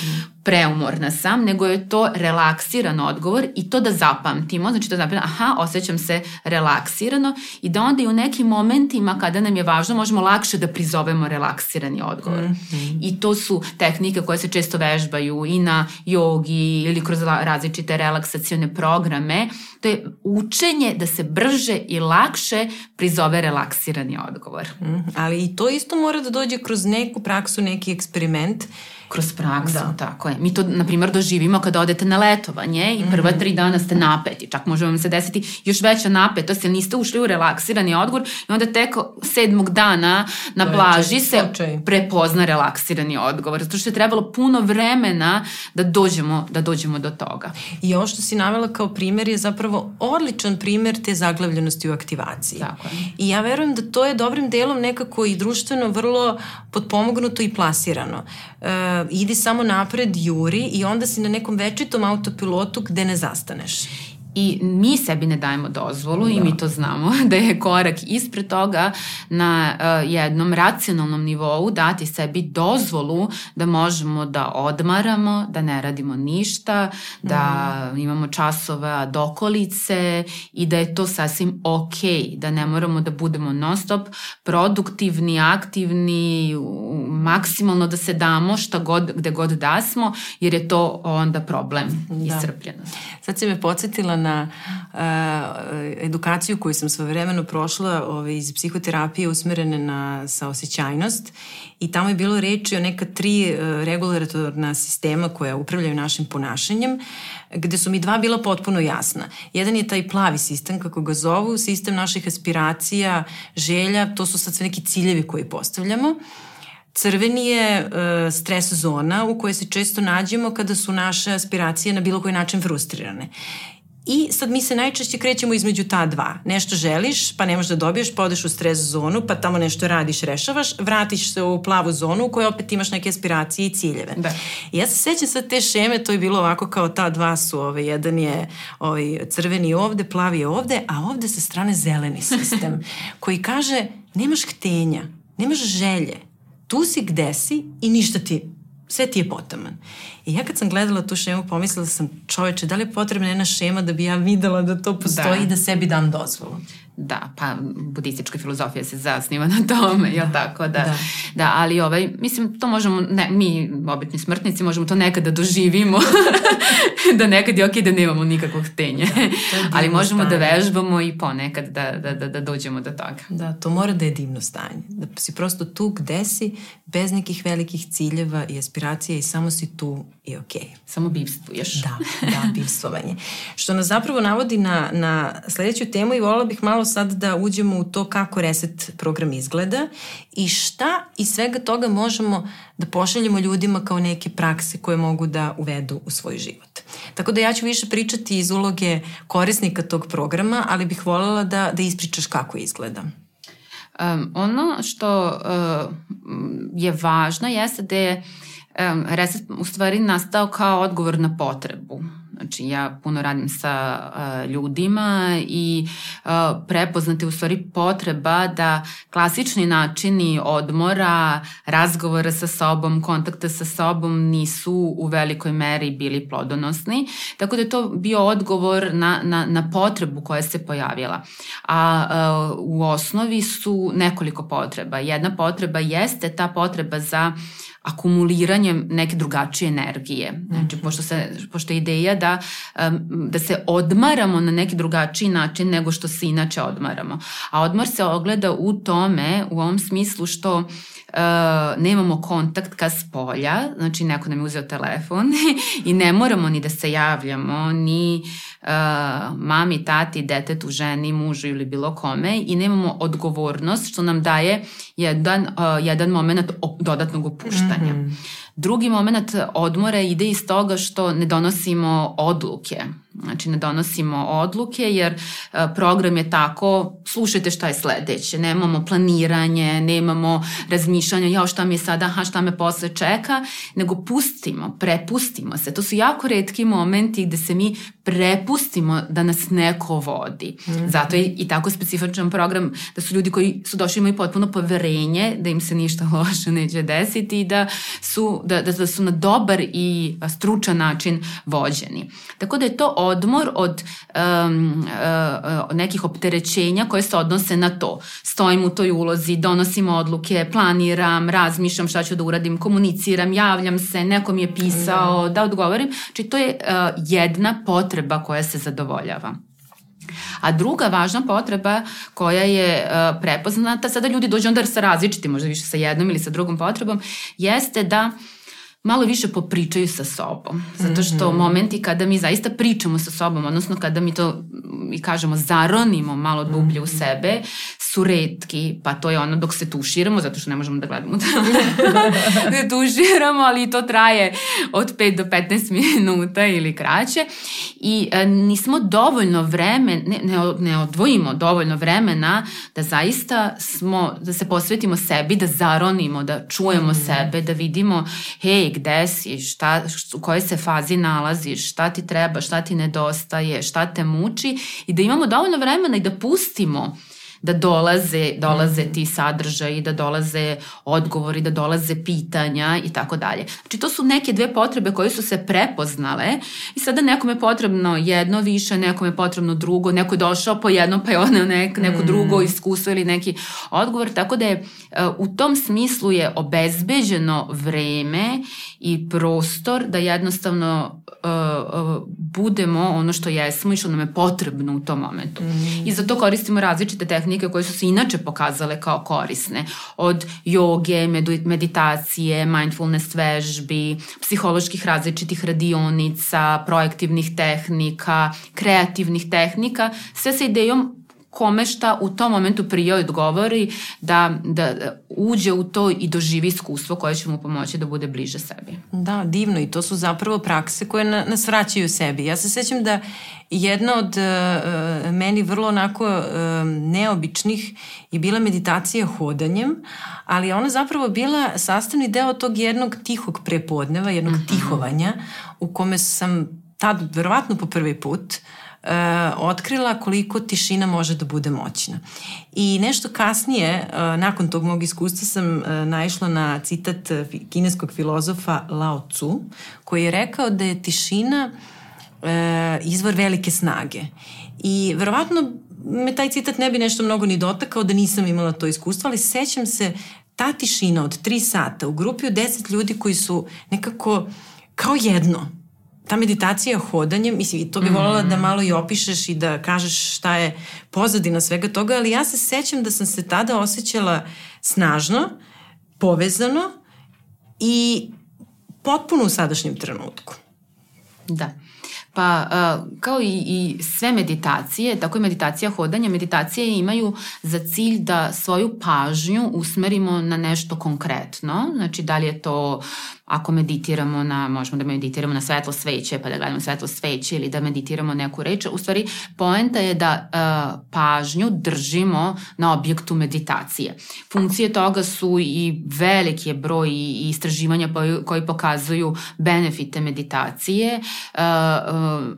Speaker 2: preumorna sam, nego je to relaksiran odgovor i to da zapamtimo, znači da zapamtimo, osjećam se relaksirano i da onda i u nekim momentima kada nam je važno možemo lakše da prizovemo relaksirani odgovor. I to su tehnike koje se često vežbaju i na jogi ili kroz različite relaksacione programe. To je učenje da se brže i lakše prizove relaksirani odgovor.
Speaker 1: Ali i to isto mora da dođe kroz neku praksu, neki eksperiment.
Speaker 2: Kroz praksu, tako je. Mi to, na primjer, doživimo kada odete na letovanje i prva 3 dana ste napeti. Čak može vam se desiti još veća napetost, jer niste ušli u relaksirani odgovor i onda tek 7. dana na plaži se prepozna relaksirani odgovor. Zato što je trebalo puno vremena da dođemo do toga.
Speaker 1: I ovo što si navela kao primjer je zapravo odličan primjer te zaglavljenosti u aktivaciji.
Speaker 2: Tako je.
Speaker 1: I ja verujem da to je dobrim delom nekako i društveno vrlo potpomognuto i plasirano. Idi samo napred, juri i onda si na nekom večitom autopilotu gde ne zastaneš.
Speaker 2: I mi sebi ne dajemo dozvolu i mi to znamo da je korak ispred toga na jednom racionalnom nivou dati sebi dozvolu da možemo da odmaramo, da ne radimo ništa, da imamo časove dokolice i da je to sasvim okej, da ne moramo da budemo non stop produktivni, aktivni, maksimalno da se damo gde god da smo, jer je to onda problem iscrpljenosti.
Speaker 1: Sad si me podsjetila na edukaciju koju sam svojevremeno prošla iz psihoterapije usmerene na saosećajnost i tamo je bilo reči o neka 3 regulatorna sistema koja upravljaju našim ponašanjem, gde su mi 2 bila potpuno jasna. Jedan je taj plavi sistem, kako ga zovu, sistem naših aspiracija, želja, to su sad sve neki ciljevi koji postavljamo. Crveni je stres zona u kojoj se često nađemo kada su naše aspiracije na bilo koji način frustrirane. I sad mi se najčešće krećemo između ta 2. Nešto želiš, pa ne možeš da dobiješ, pa odeš u stres zonu, pa tamo nešto radiš, rešavaš, vratiš se u plavu zonu u kojoj opet imaš neke aspiracije i ciljeve. Da. I ja se sećam sad te šeme, to je bilo ovako kao ta 2 su, jedan je crveni ovde, plavi je ovde, a ovde sa strane zeleni sistem koji kaže nemaš htenja, nemaš želje, tu si gde si i ništa sve ti je potaman. I ja kad sam gledala tu šemu, pomislila sam, čoveče, da li je potrebna jedna šema da bi ja videla da to postoji i da sebi dam dozvolu?
Speaker 2: Da, pa budistička filozofija se zasniva na tome, jel tako? Da, ali mislim, to možemo, mi, obični smrtnici, možemo to nekada doživimo, da nekad je okej da nemamo nikakvog htenja, ali možemo da vežbamo i ponekad da dođemo do toga.
Speaker 1: Da, to mora da je divno stanje, da si prosto tu gde si, bez nekih velikih ciljeva i aspiracija i samo si tu i okej.
Speaker 2: Samo bivstvuješ.
Speaker 1: Da, bivstvovanje. Što nas zapravo navodi na sledeću temu i voljela bih malo sad da uđemo u to kako reset program izgleda i šta iz svega toga možemo da pošaljemo ljudima kao neke prakse koje mogu da uvedu u svoj život. Tako da ja ću više pričati iz uloge korisnika tog programa, ali bih voljela da ispričaš kako izgleda.
Speaker 2: Ono što je važno jeste da je reset u stvari nastao kao odgovor na potrebu. Znači, ja puno radim sa ljudima i prepoznate u stvari potreba da klasični načini odmora, razgovora sa sobom, kontakta sa sobom nisu u velikoj meri bili plodonosni. Tako da je to bio odgovor na potrebu koja se pojavila. A u osnovi su nekoliko potreba. Jedna potreba jeste ta potreba za akumuliranjem neke drugačije energije. Znači, pošto je ideja da se odmaramo na neki drugačiji način nego što se inače odmaramo. A odmor se ogleda u tome, u ovom smislu što nemamo kontakt ka spolja, znači neko nam je uzeo telefon i ne moramo ni da se javljamo, ni mami, tati, detetu, ženi, mužu ili bilo kome i nemamo odgovornost što nam daje jedan moment dodatnog opuštanja. Drugi moment odmora ide iz toga što ne donosimo odluke. Znači ne donosimo odluke jer program je tako, slušajte šta je sledeće, nemamo planiranje, nemamo razmišljanja, šta mi je sada, šta me posle čeka, nego prepustimo se. To su jako retki momenti gde se mi prepustimo da nas neko vodi. Zato je i tako specifičan program da su ljudi koji su došli imaju potpuno poverenje da im se ništa loše neće desiti i da su na dobar i stručan način vođeni. Tako da je to odmor od nekih opterećenja koje se odnose na to. Stojim u toj ulozi, donosim odluke, planiram, razmišljam šta ću da uradim, komuniciram, javljam se, neko mi je pisao, da odgovorim. Znači to je jedna potreba koja se zadovoljava. A druga važna potreba koja je prepoznata, sada ljudi dođu onda sa različitim, možda više sa jednom ili sa drugom potrebom, jeste da malo više popričaju sa sobom. Zato što momenti kada mi zaista pričamo sa sobom, odnosno kada mi to i kažemo zaronimo malo dublje u sebe, su retki, pa to je ono dok se tuširamo, zato što ne možemo da gledamo da tuširamo, ali to traje od 5 do 15 minuta ili kraće i nismo dovoljno ne odvojimo dovoljno vremena da zaista da se posvetimo sebi, da zaronimo, da čujemo sebe, da vidimo gde si, u kojoj se fazi nalaziš, šta ti treba, šta ti nedostaje, šta te muči i da imamo dovoljno vremena i da pustimo da dolaze ti sadržaji, da dolaze odgovori, da dolaze pitanja i tako dalje. Znači to su neke dve potrebe koje su se prepoznale i sada nekom je potrebno jedno više, nekom je potrebno drugo, neko je došao po jedno pa je ono neko drugo iskustvo ili neki odgovor, tako da je u tom smislu je obezbeđeno vreme i prostor da jednostavno budemo ono što jesmo i što nam je potrebno u tom momentu. I za to koristimo različite tehnike koje su se inače pokazale kao korisne. Od joge, meditacije, mindfulness vežbi, psiholoških različitih radionica, projektivnih tehnika, kreativnih tehnika, sve sa idejom kome šta u tom momentu prije odgovori da uđe u to i doživi iskustvo koje će mu pomoći da bude bliže sebi.
Speaker 1: Da, divno i to su zapravo prakse koje nas vraćaju sebi. Ja se sećam da jedna od meni vrlo onako neobičnih je bila meditacija hodanjem, ali ona zapravo bila sastavni deo tog jednog tihog prepodneva, jednog tihovanja u kome sam tad verovatno po prvi put otkrila koliko tišina može da bude moćna. I nešto kasnije, nakon tog mog iskustva sam naišla na citat kineskog filozofa Lao Tzu, koji je rekao da je tišina izvor velike snage. I verovatno me taj citat ne bi nešto mnogo ni dotakao da nisam imala to iskustvo, ali sećam se ta tišina od 3 sata u grupi od 10 ljudi koji su nekako kao jedno. Ta meditacija hodanjem, mislim, to bi voljela da malo i opišeš i da kažeš šta je pozadina svega toga, ali ja se sećam da sam se tada osjećala snažno, povezano i potpuno u sadašnjem trenutku.
Speaker 2: Da. Pa kao i sve meditacije, tako i meditacija hodanja, meditacije imaju za cilj da svoju pažnju usmerimo na nešto konkretno. Znači da li je to ako meditiramo možemo da meditiramo na svetlo sveće pa da gledamo svetlo sveće ili da meditiramo neku reč. U stvari poenta je da pažnju držimo na objektu meditacije. Funkcije toga su i veliki broj i istraživanja koji pokazuju benefite meditacije.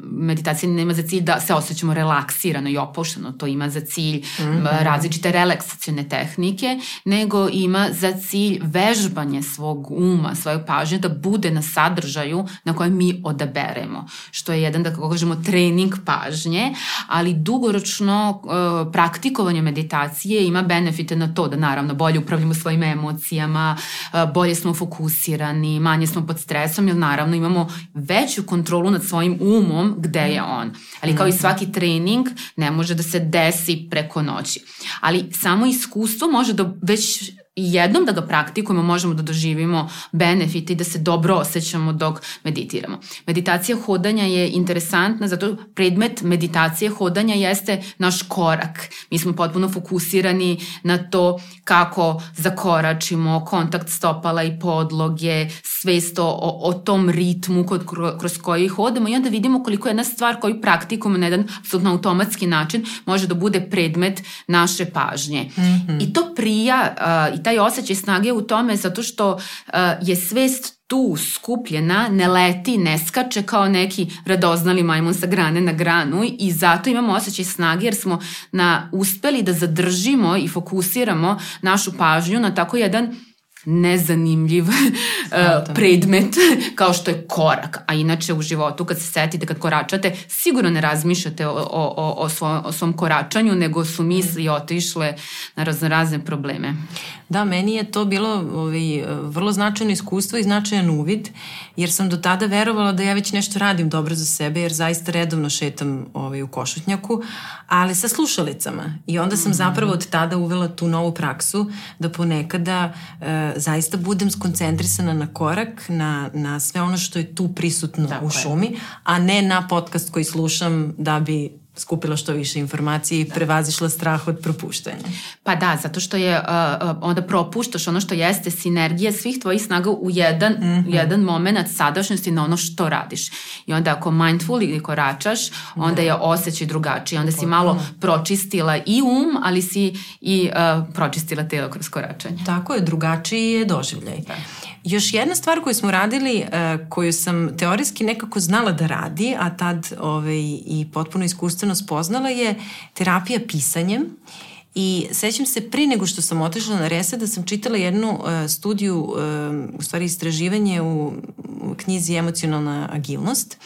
Speaker 2: Meditacija nema za cilj da se osjećamo relaksirano i opušteno, to ima za cilj različite relaksacione tehnike, nego ima za cilj vežbanje svog uma, svoje pažnje pažnje da bude na sadržaju na kojem mi odaberemo, što je jedan, da kako kažemo, trening pažnje, ali dugoročno praktikovanje meditacije ima benefite na to da naravno bolje upravljamo svojim emocijama, bolje smo fokusirani, manje smo pod stresom, jer naravno imamo veću kontrolu nad svojim umom gde je on. Ali kao i svaki trening ne može da se desi preko noći. Ali samo iskustvo može da već jednom da ga praktikujemo možemo da doživimo benefite i da se dobro osjećamo dok meditiramo. Meditacija hodanja je interesantna, zato predmet meditacije hodanja jeste naš korak. Mi smo potpuno fokusirani na to kako zakoračimo, kontakt stopala i podloge, svest o tom ritmu kroz koji hodamo i onda vidimo koliko jedna stvar koju praktikujemo na jedan apsolutno automatski način može da bude predmet naše pažnje. I to prija i taj osjećaj snage u tome zato što je svest tu skupljena, ne leti, ne skače kao neki radoznali majmun sa grane na granu i zato imamo osjećaj snage jer smo uspeli da zadržimo i fokusiramo našu pažnju na tako jedan nezanimljiv predmet kao što je korak. A inače u životu kad se setite, kad koračate, sigurno ne razmišljate o svom koračanju, nego su misli otišle na razne probleme.
Speaker 1: Da, meni je to bilo vrlo značajno iskustvo i značajan uvid, jer sam do tada verovala da ja već nešto radim dobro za sebe, jer zaista redovno šetam u Košutnjaku, ali sa slušalicama. I onda sam zapravo od tada uvela tu novu praksu da ponekada zaista budem skoncentrisana na korak, na sve ono što je tu prisutno u šumi, a ne na podcast koji slušam da bi skupila što više informacije i prevazišla strah od propuštanja.
Speaker 2: Pa da, zato što je onda propuštaš ono što jeste sinergija svih tvojih snaga u jedan moment sadašnjosti na ono što radiš. I onda ako mindful ili koračaš, onda je osjećaj drugačiji. Onda si malo pročistila i ali si i pročistila telo kroz koračanje.
Speaker 1: Tako je, drugačiji je doživljaj. Da. Još jedna stvar koju smo radili, koju sam teorijski nekako znala da radi, a tad i potpuno iskustveno spoznala, je terapija pisanjem. I sećam se prije nego što sam otišla na Reset da sam čitala jednu studiju, u stvari istraživanje u knjizi Emocionalna agilnost,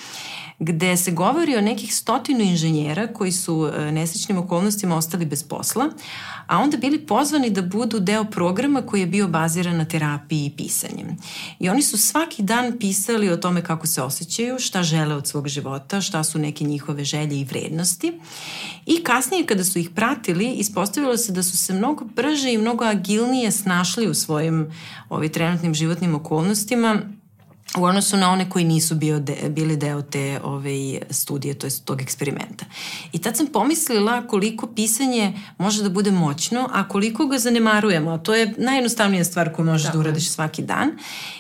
Speaker 1: gde se govori o nekih 100 inženjera koji su nesrećnim okolnostima ostali bez posla, a onda bili pozvani da budu deo programa koji je bio baziran na terapiji i pisanjem. I oni su svaki dan pisali o tome kako se osjećaju, šta žele od svog života, šta su neke njihove želje i vrednosti. I kasnije kada su ih pratili, ispostavilo se da su se mnogo brže i mnogo agilnije snašli u svojim trenutnim životnim okolnostima u odnosu na one koji nisu bili deo te studije, to je tog eksperimenta. I tad sam pomislila koliko pisanje može da bude moćno, a koliko ga zanemarujemo. To je najjednostavnija stvar koju možeš da uradiš svaki dan.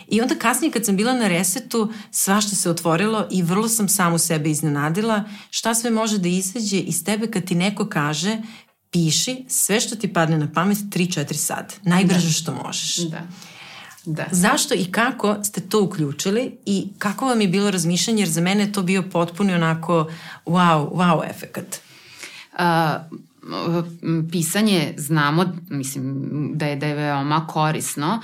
Speaker 1: I onda kasnije kad sam bila na Resetu, svašta se otvorilo i vrlo sam samu sebe iznenadila šta sve može da izađe iz tebe kad ti neko kaže piši sve što ti padne na pamet 3-4 sata. Najbrže što možeš. Da. Zašto i kako ste to uključili i kako vam je bilo razmišljanje, jer za mene je to bio potpuno onako wow efekat.
Speaker 2: Pisanje znamo, mislim da je veoma korisno.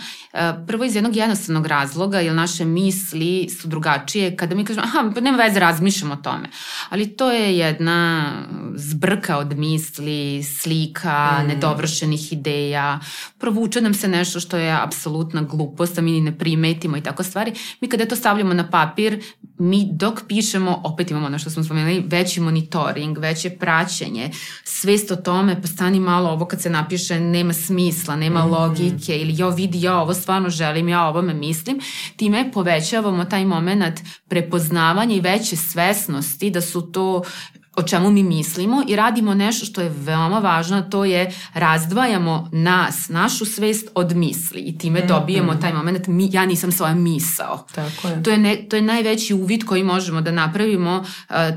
Speaker 2: Prvo iz jednog jednostavnog razloga, jer naše misli su drugačije. Kada mi kažemo, pa nema veze, razmišljamo o tome. Ali to je jedna zbrka od misli, slika, nedovršenih ideja. Provuče nam se nešto što je apsolutna glupost, a mi ne primetimo i tako stvari. Mi kada to stavljamo na papir, mi dok pišemo, opet imamo ono što smo spomenuli, veći monitoring, veće praćenje, svest o tome, pa stani malo, ovo kad se napiše nema smisla, nema logike, ili ja ovo stvarno želim, ja ovome mislim. Time povećavamo taj moment prepoznavanja i veće svesnosti da su to o čemu mi mislimo i radimo nešto što je veoma važno, to je razdvajamo našu svest od misli i time dobijemo taj moment, ja nisam svoja misao.
Speaker 1: Tako je.
Speaker 2: To je najveći uvid koji možemo da napravimo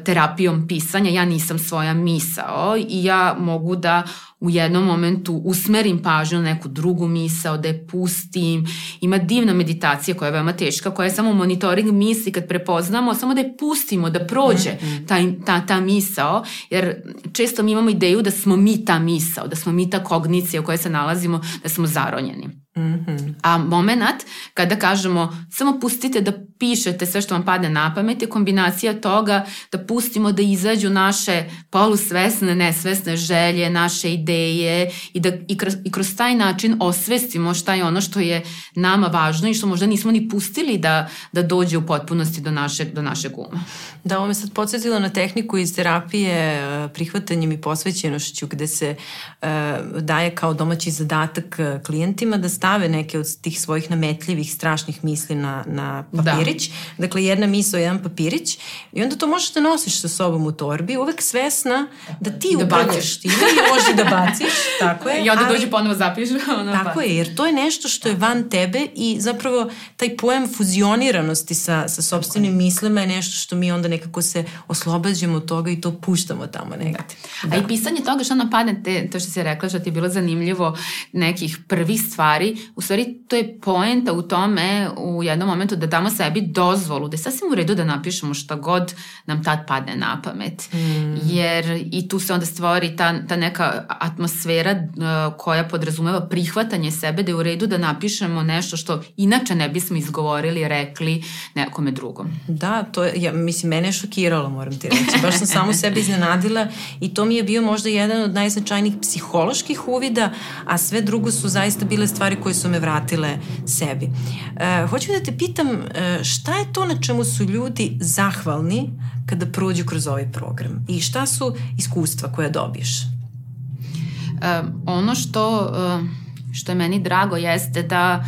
Speaker 2: terapijom pisanja, ja nisam svoja misao i ja mogu da u jednom momentu usmerim pažnju na neku drugu misao, da je pustim. Ima divna meditacija koja je veoma teška, koja je samo monitoring misli kad prepoznamo, samo da je pustimo, da prođe ta misao, jer često mi imamo ideju da smo mi ta misao, da smo mi ta kognicija u kojoj se nalazimo, da smo zaronjeni. A moment kada kažemo samo pustite da pišete sve što vam padne na pamet je kombinacija toga da pustimo da izađu naše polusvesne, nesvesne želje, naše ideje i da i kroz taj način osvestimo šta je ono što je nama važno i što možda nismo ni pustili da dođe u potpunosti do našeg uma.
Speaker 1: Da, ovo me sad podsjetilo na tehniku iz terapije prihvatanjem i posvećenošću gde se daje kao domaći zadatak klijentima da stave neke od tih svojih nametljivih, strašnih misli na papirić. Da. Dakle, jedna misao, jedan papirić i onda to možeš da nosiš sa sobom u torbi, uvek svesna da ti upravljaš time i možeš da baciš. Tako je.
Speaker 2: I onda dođe ponovo zapiš.
Speaker 1: Tako je, jer to je nešto što je van tebe i zapravo taj pojam fuzioniranosti sa sopstvenim mislima je nešto što mi onda nekako se oslobađamo od toga i to puštamo tamo negdje.
Speaker 2: Da. A i pisanje toga što nam padne, to što si rekla, što ti je bilo zanimljivo, nekih prvih stvari, u stvari to je poenta u tome u jednom momentu da damo sebi dozvolu, da je sasvim u redu da napišemo šta god nam tad padne na pamet. Jer i tu se onda stvori ta neka atmosfera koja podrazumeva prihvatanje sebe, da je u redu da napišemo nešto što inače ne bismo izgovorili, rekli nekome drugom.
Speaker 1: Da, to je, mislim, mene je šokiralo, moram ti reći. Baš sam samu sebe iznenadila i to mi je bio možda jedan od najznačajnijih psiholoških uvida, a sve drugo su zaista bile stvari koje su me vratile sebi. Hoću da te pitam, šta je to na čemu su ljudi zahvalni kada prođu kroz ovaj program i šta su iskustva koje dobiješ?
Speaker 2: Ono što je meni drago jeste da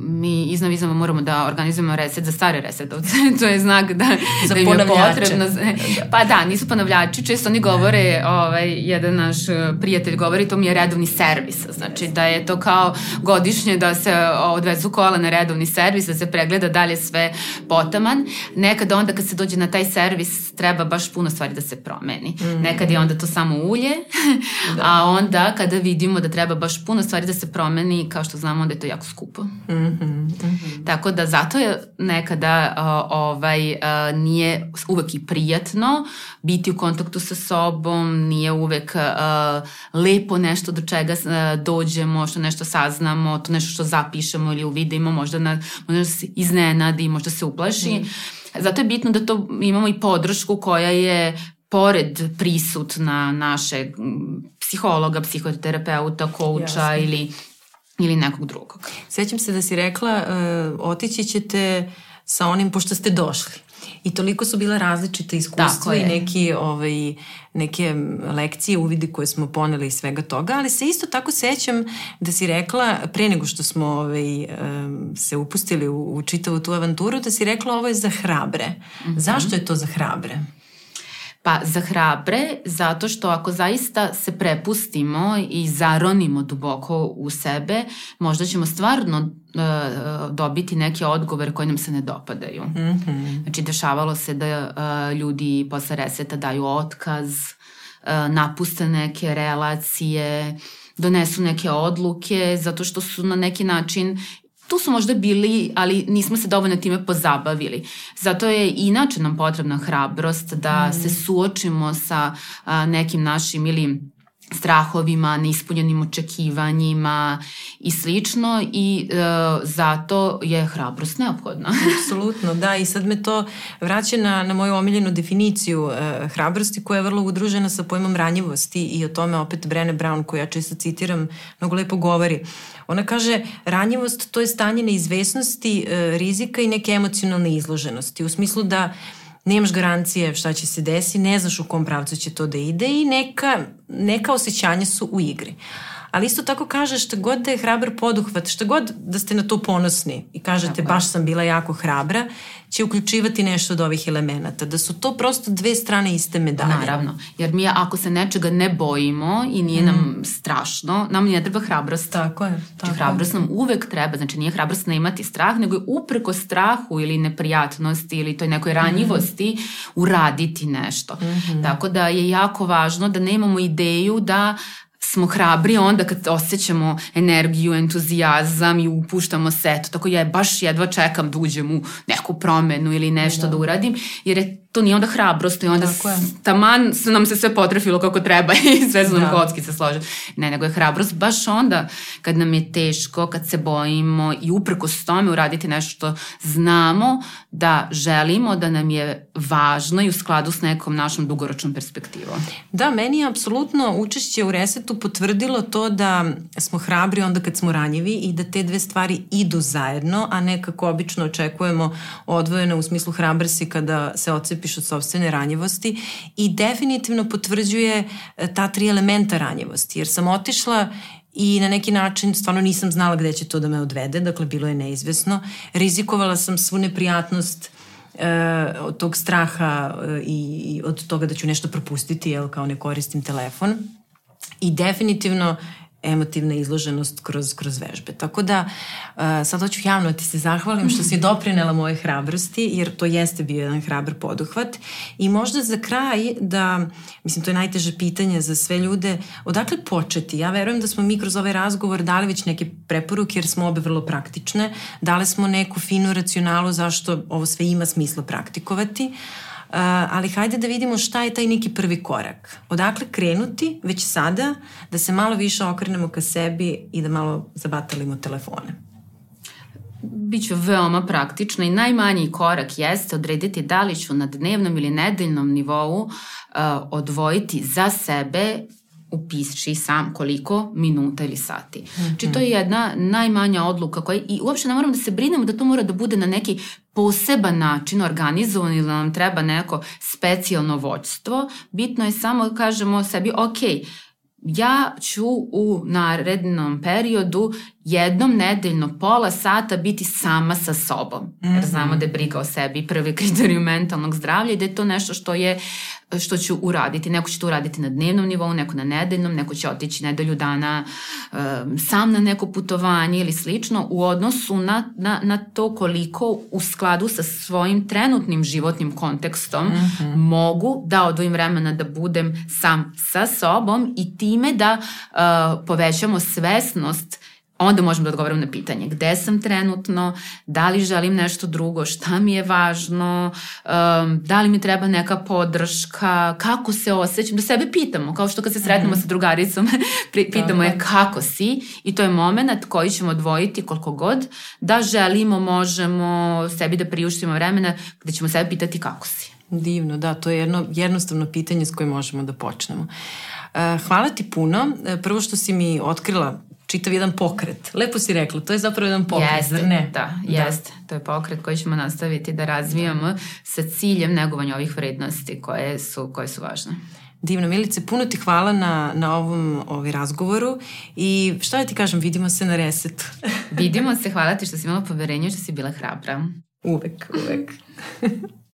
Speaker 2: mi iznova moramo da organizujemo reset za stare resetovce. To je znak da im je potrebno. Pa da, nisu ponavljači. Često oni govore, jedan naš prijatelj govori, to mi je redovni servis. Znači da je to kao godišnje da se odvezu kola na redovni servis, da se pregleda dalje sve potaman. Nekada onda kad se dođe na taj servis treba baš puno stvari da se promeni. Nekad je onda to samo ulje, a onda kada vidimo da treba baš puno stvari da se promeni, kao što znamo, onda je to jako skupo. Tako da zato je nekada nije uvek i prijatno biti u kontaktu sa sobom, nije uvek lepo nešto do čega dođemo, što nešto saznamo, to nešto što zapišemo ili uvidimo, možda se iznenadi, možda se uplaši. Zato je bitno da to imamo i podršku koja je pored prisutna našeg psihologa, psihoterapeuta, kouča ili nekog drugog.
Speaker 1: Sjećam se da si rekla, otići ćete sa onim pošto ste došli. I toliko su bila različite iskustva i neke lekcije, uvidi koje smo poneli iz svega toga, ali se isto tako sećam da si rekla, pre nego što smo se upustili u čitavu tu avanturu, da si rekla ovo je za hrabre. Zašto je to za hrabre?
Speaker 2: Pa za hrabre, zato što ako zaista se prepustimo i zaronimo duboko u sebe, možda ćemo stvarno dobiti neke odgovore koje nam se ne dopadaju. Znači, dešavalo se da ljudi posle reseta daju otkaz, napuste neke relacije, donesu neke odluke, zato što su na neki način tu su možda bili, ali nismo se dovoljno time pozabavili. Zato je inače nam potrebna hrabrost da se suočimo sa nekim našim ili strahovima, neispunjenim očekivanjima i slično i zato je hrabrost neophodna.
Speaker 1: Apsolutno, da, i sad me to vraća na moju omiljenu definiciju hrabrosti koja je vrlo udružena sa pojmom ranjivosti i o tome opet Brené Brown, koju ja često citiram, mnogo lepo govori. Ona kaže, ranjivost to je stanje neizvesnosti, rizika i neke emocionalne izloženosti, u smislu da nemaš garancije šta će se desiti, ne znaš u kom pravcu će to da ide i neka osjećanja su u igri. Ali isto tako kaže šta god da je hrabar poduhvat, šta god da ste na to ponosni i kažete baš sam bila jako hrabra, će uključivati nešto od ovih elemenata. Da su to prosto dve strane iste medalje.
Speaker 2: Naravno, jer mi ako se nečega ne bojimo i nije nam strašno, nam ne treba hrabrost.
Speaker 1: Tako je.
Speaker 2: Znači hrabrost nam uvek treba, znači nije hrabrost ne imati strah, nego je upreko strahu ili neprijatnosti ili toj nekoj ranjivosti uraditi nešto. Tako da je jako važno da nemamo ideju da smo hrabri onda kad osjećamo energiju, entuzijazam i upuštamo se, tako ja baš jedva čekam da uđem u neku promenu ili nešto da uradim, jer je to nije onda hrabrost i onda taman nam se sve potrefilo kako treba i sve su nam kockice složene. Ne, nego je hrabrost baš onda kad nam je teško, kad se bojimo i uprkos tome uraditi nešto što znamo da želimo, da nam je važno i u skladu s nekom našom dugoročnom perspektivom.
Speaker 1: Da, meni je apsolutno učešće u Resetu potvrdilo to da smo hrabri onda kad smo ranjivi i da te dve stvari idu zajedno, a ne kako obično očekujemo odvojeno u smislu hrabar si kada se odcepiš od sopstvene ranjivosti i definitivno potvrđuje ta 3 elementa ranjivosti, jer sam otišla i na neki način stvarno nisam znala gde će to da me odvede, dakle bilo je neizvesno. Rizikovala sam svu neprijatnost od tog straha i od toga da ću nešto propustiti, kao ne koristim telefon. I definitivno emotivna izloženost kroz vežbe. Tako da sad hoću javno da ti se zahvalim što si doprinela moje hrabrosti, jer to jeste bio jedan hrabar poduhvat. I možda za kraj da, mislim to je najteže pitanje za sve ljude, odakle početi? Ja verujem da smo mi kroz ovaj razgovor dali već neke preporuke jer smo obe vrlo praktične. Dali smo neku finu racionalu zašto ovo sve ima smisla praktikovati. Ali hajde da vidimo šta je taj neki prvi korak. Odakle krenuti već sada da se malo više okrenemo ka sebi i da malo zabatalimo telefone.
Speaker 2: Biću veoma praktična i najmanji korak jeste odrediti da li ću na dnevnom ili nedeljnom nivou odvojiti za sebe, upiši sam koliko minuta ili sati. Znači to je jedna najmanja odluka koja i uopšte ne moramo da se brinemo da to mora da bude na neki poseban način organizovan ili da nam treba neko specijalno vođstvo. Bitno je samo da kažemo sebi ja ću u narednom periodu jednom nedeljno pola sata biti sama sa sobom. Jer znamo da je briga o sebi prvi kriterijum mentalnog zdravlja i da je to nešto što ću uraditi. Neko će to uraditi na dnevnom nivou, neko na nedeljnom, neko će otići nedelju dana sam na neko putovanje ili slično u odnosu na to koliko u skladu sa svojim trenutnim životnim kontekstom mogu da odvojim vremena da budem sam sa sobom i time da povećamo svesnost. Onda možemo da odgovorimo na pitanje gde sam trenutno, da li želim nešto drugo, šta mi je važno, da li mi treba neka podrška, kako se osjećam, da sebe pitamo, kao što kad se sretnemo sa drugaricom, pitamo je kako si i to je moment koji ćemo odvojiti koliko god da želimo, možemo sebi da priuštimo vremena gde ćemo sebe pitati kako si.
Speaker 1: Divno, da, to je jedno jednostavno pitanje s kojim možemo da počnemo. Hvala ti puno. Prvo što si mi otkrila čitav jedan pokret. Lepo si rekla, to je zapravo jedan pokret, zar ne?
Speaker 2: Da, jeste. To je pokret koji ćemo nastaviti da razvijamo sa ciljem negovanja ovih vrednosti koje su važne.
Speaker 1: Divno, Milice, puno ti hvala na ovom razgovoru i šta da ti kažem, vidimo se na Resetu.
Speaker 2: Vidimo se, hvala ti što si imala poverenje, što si bila hrabra.
Speaker 1: Uvek.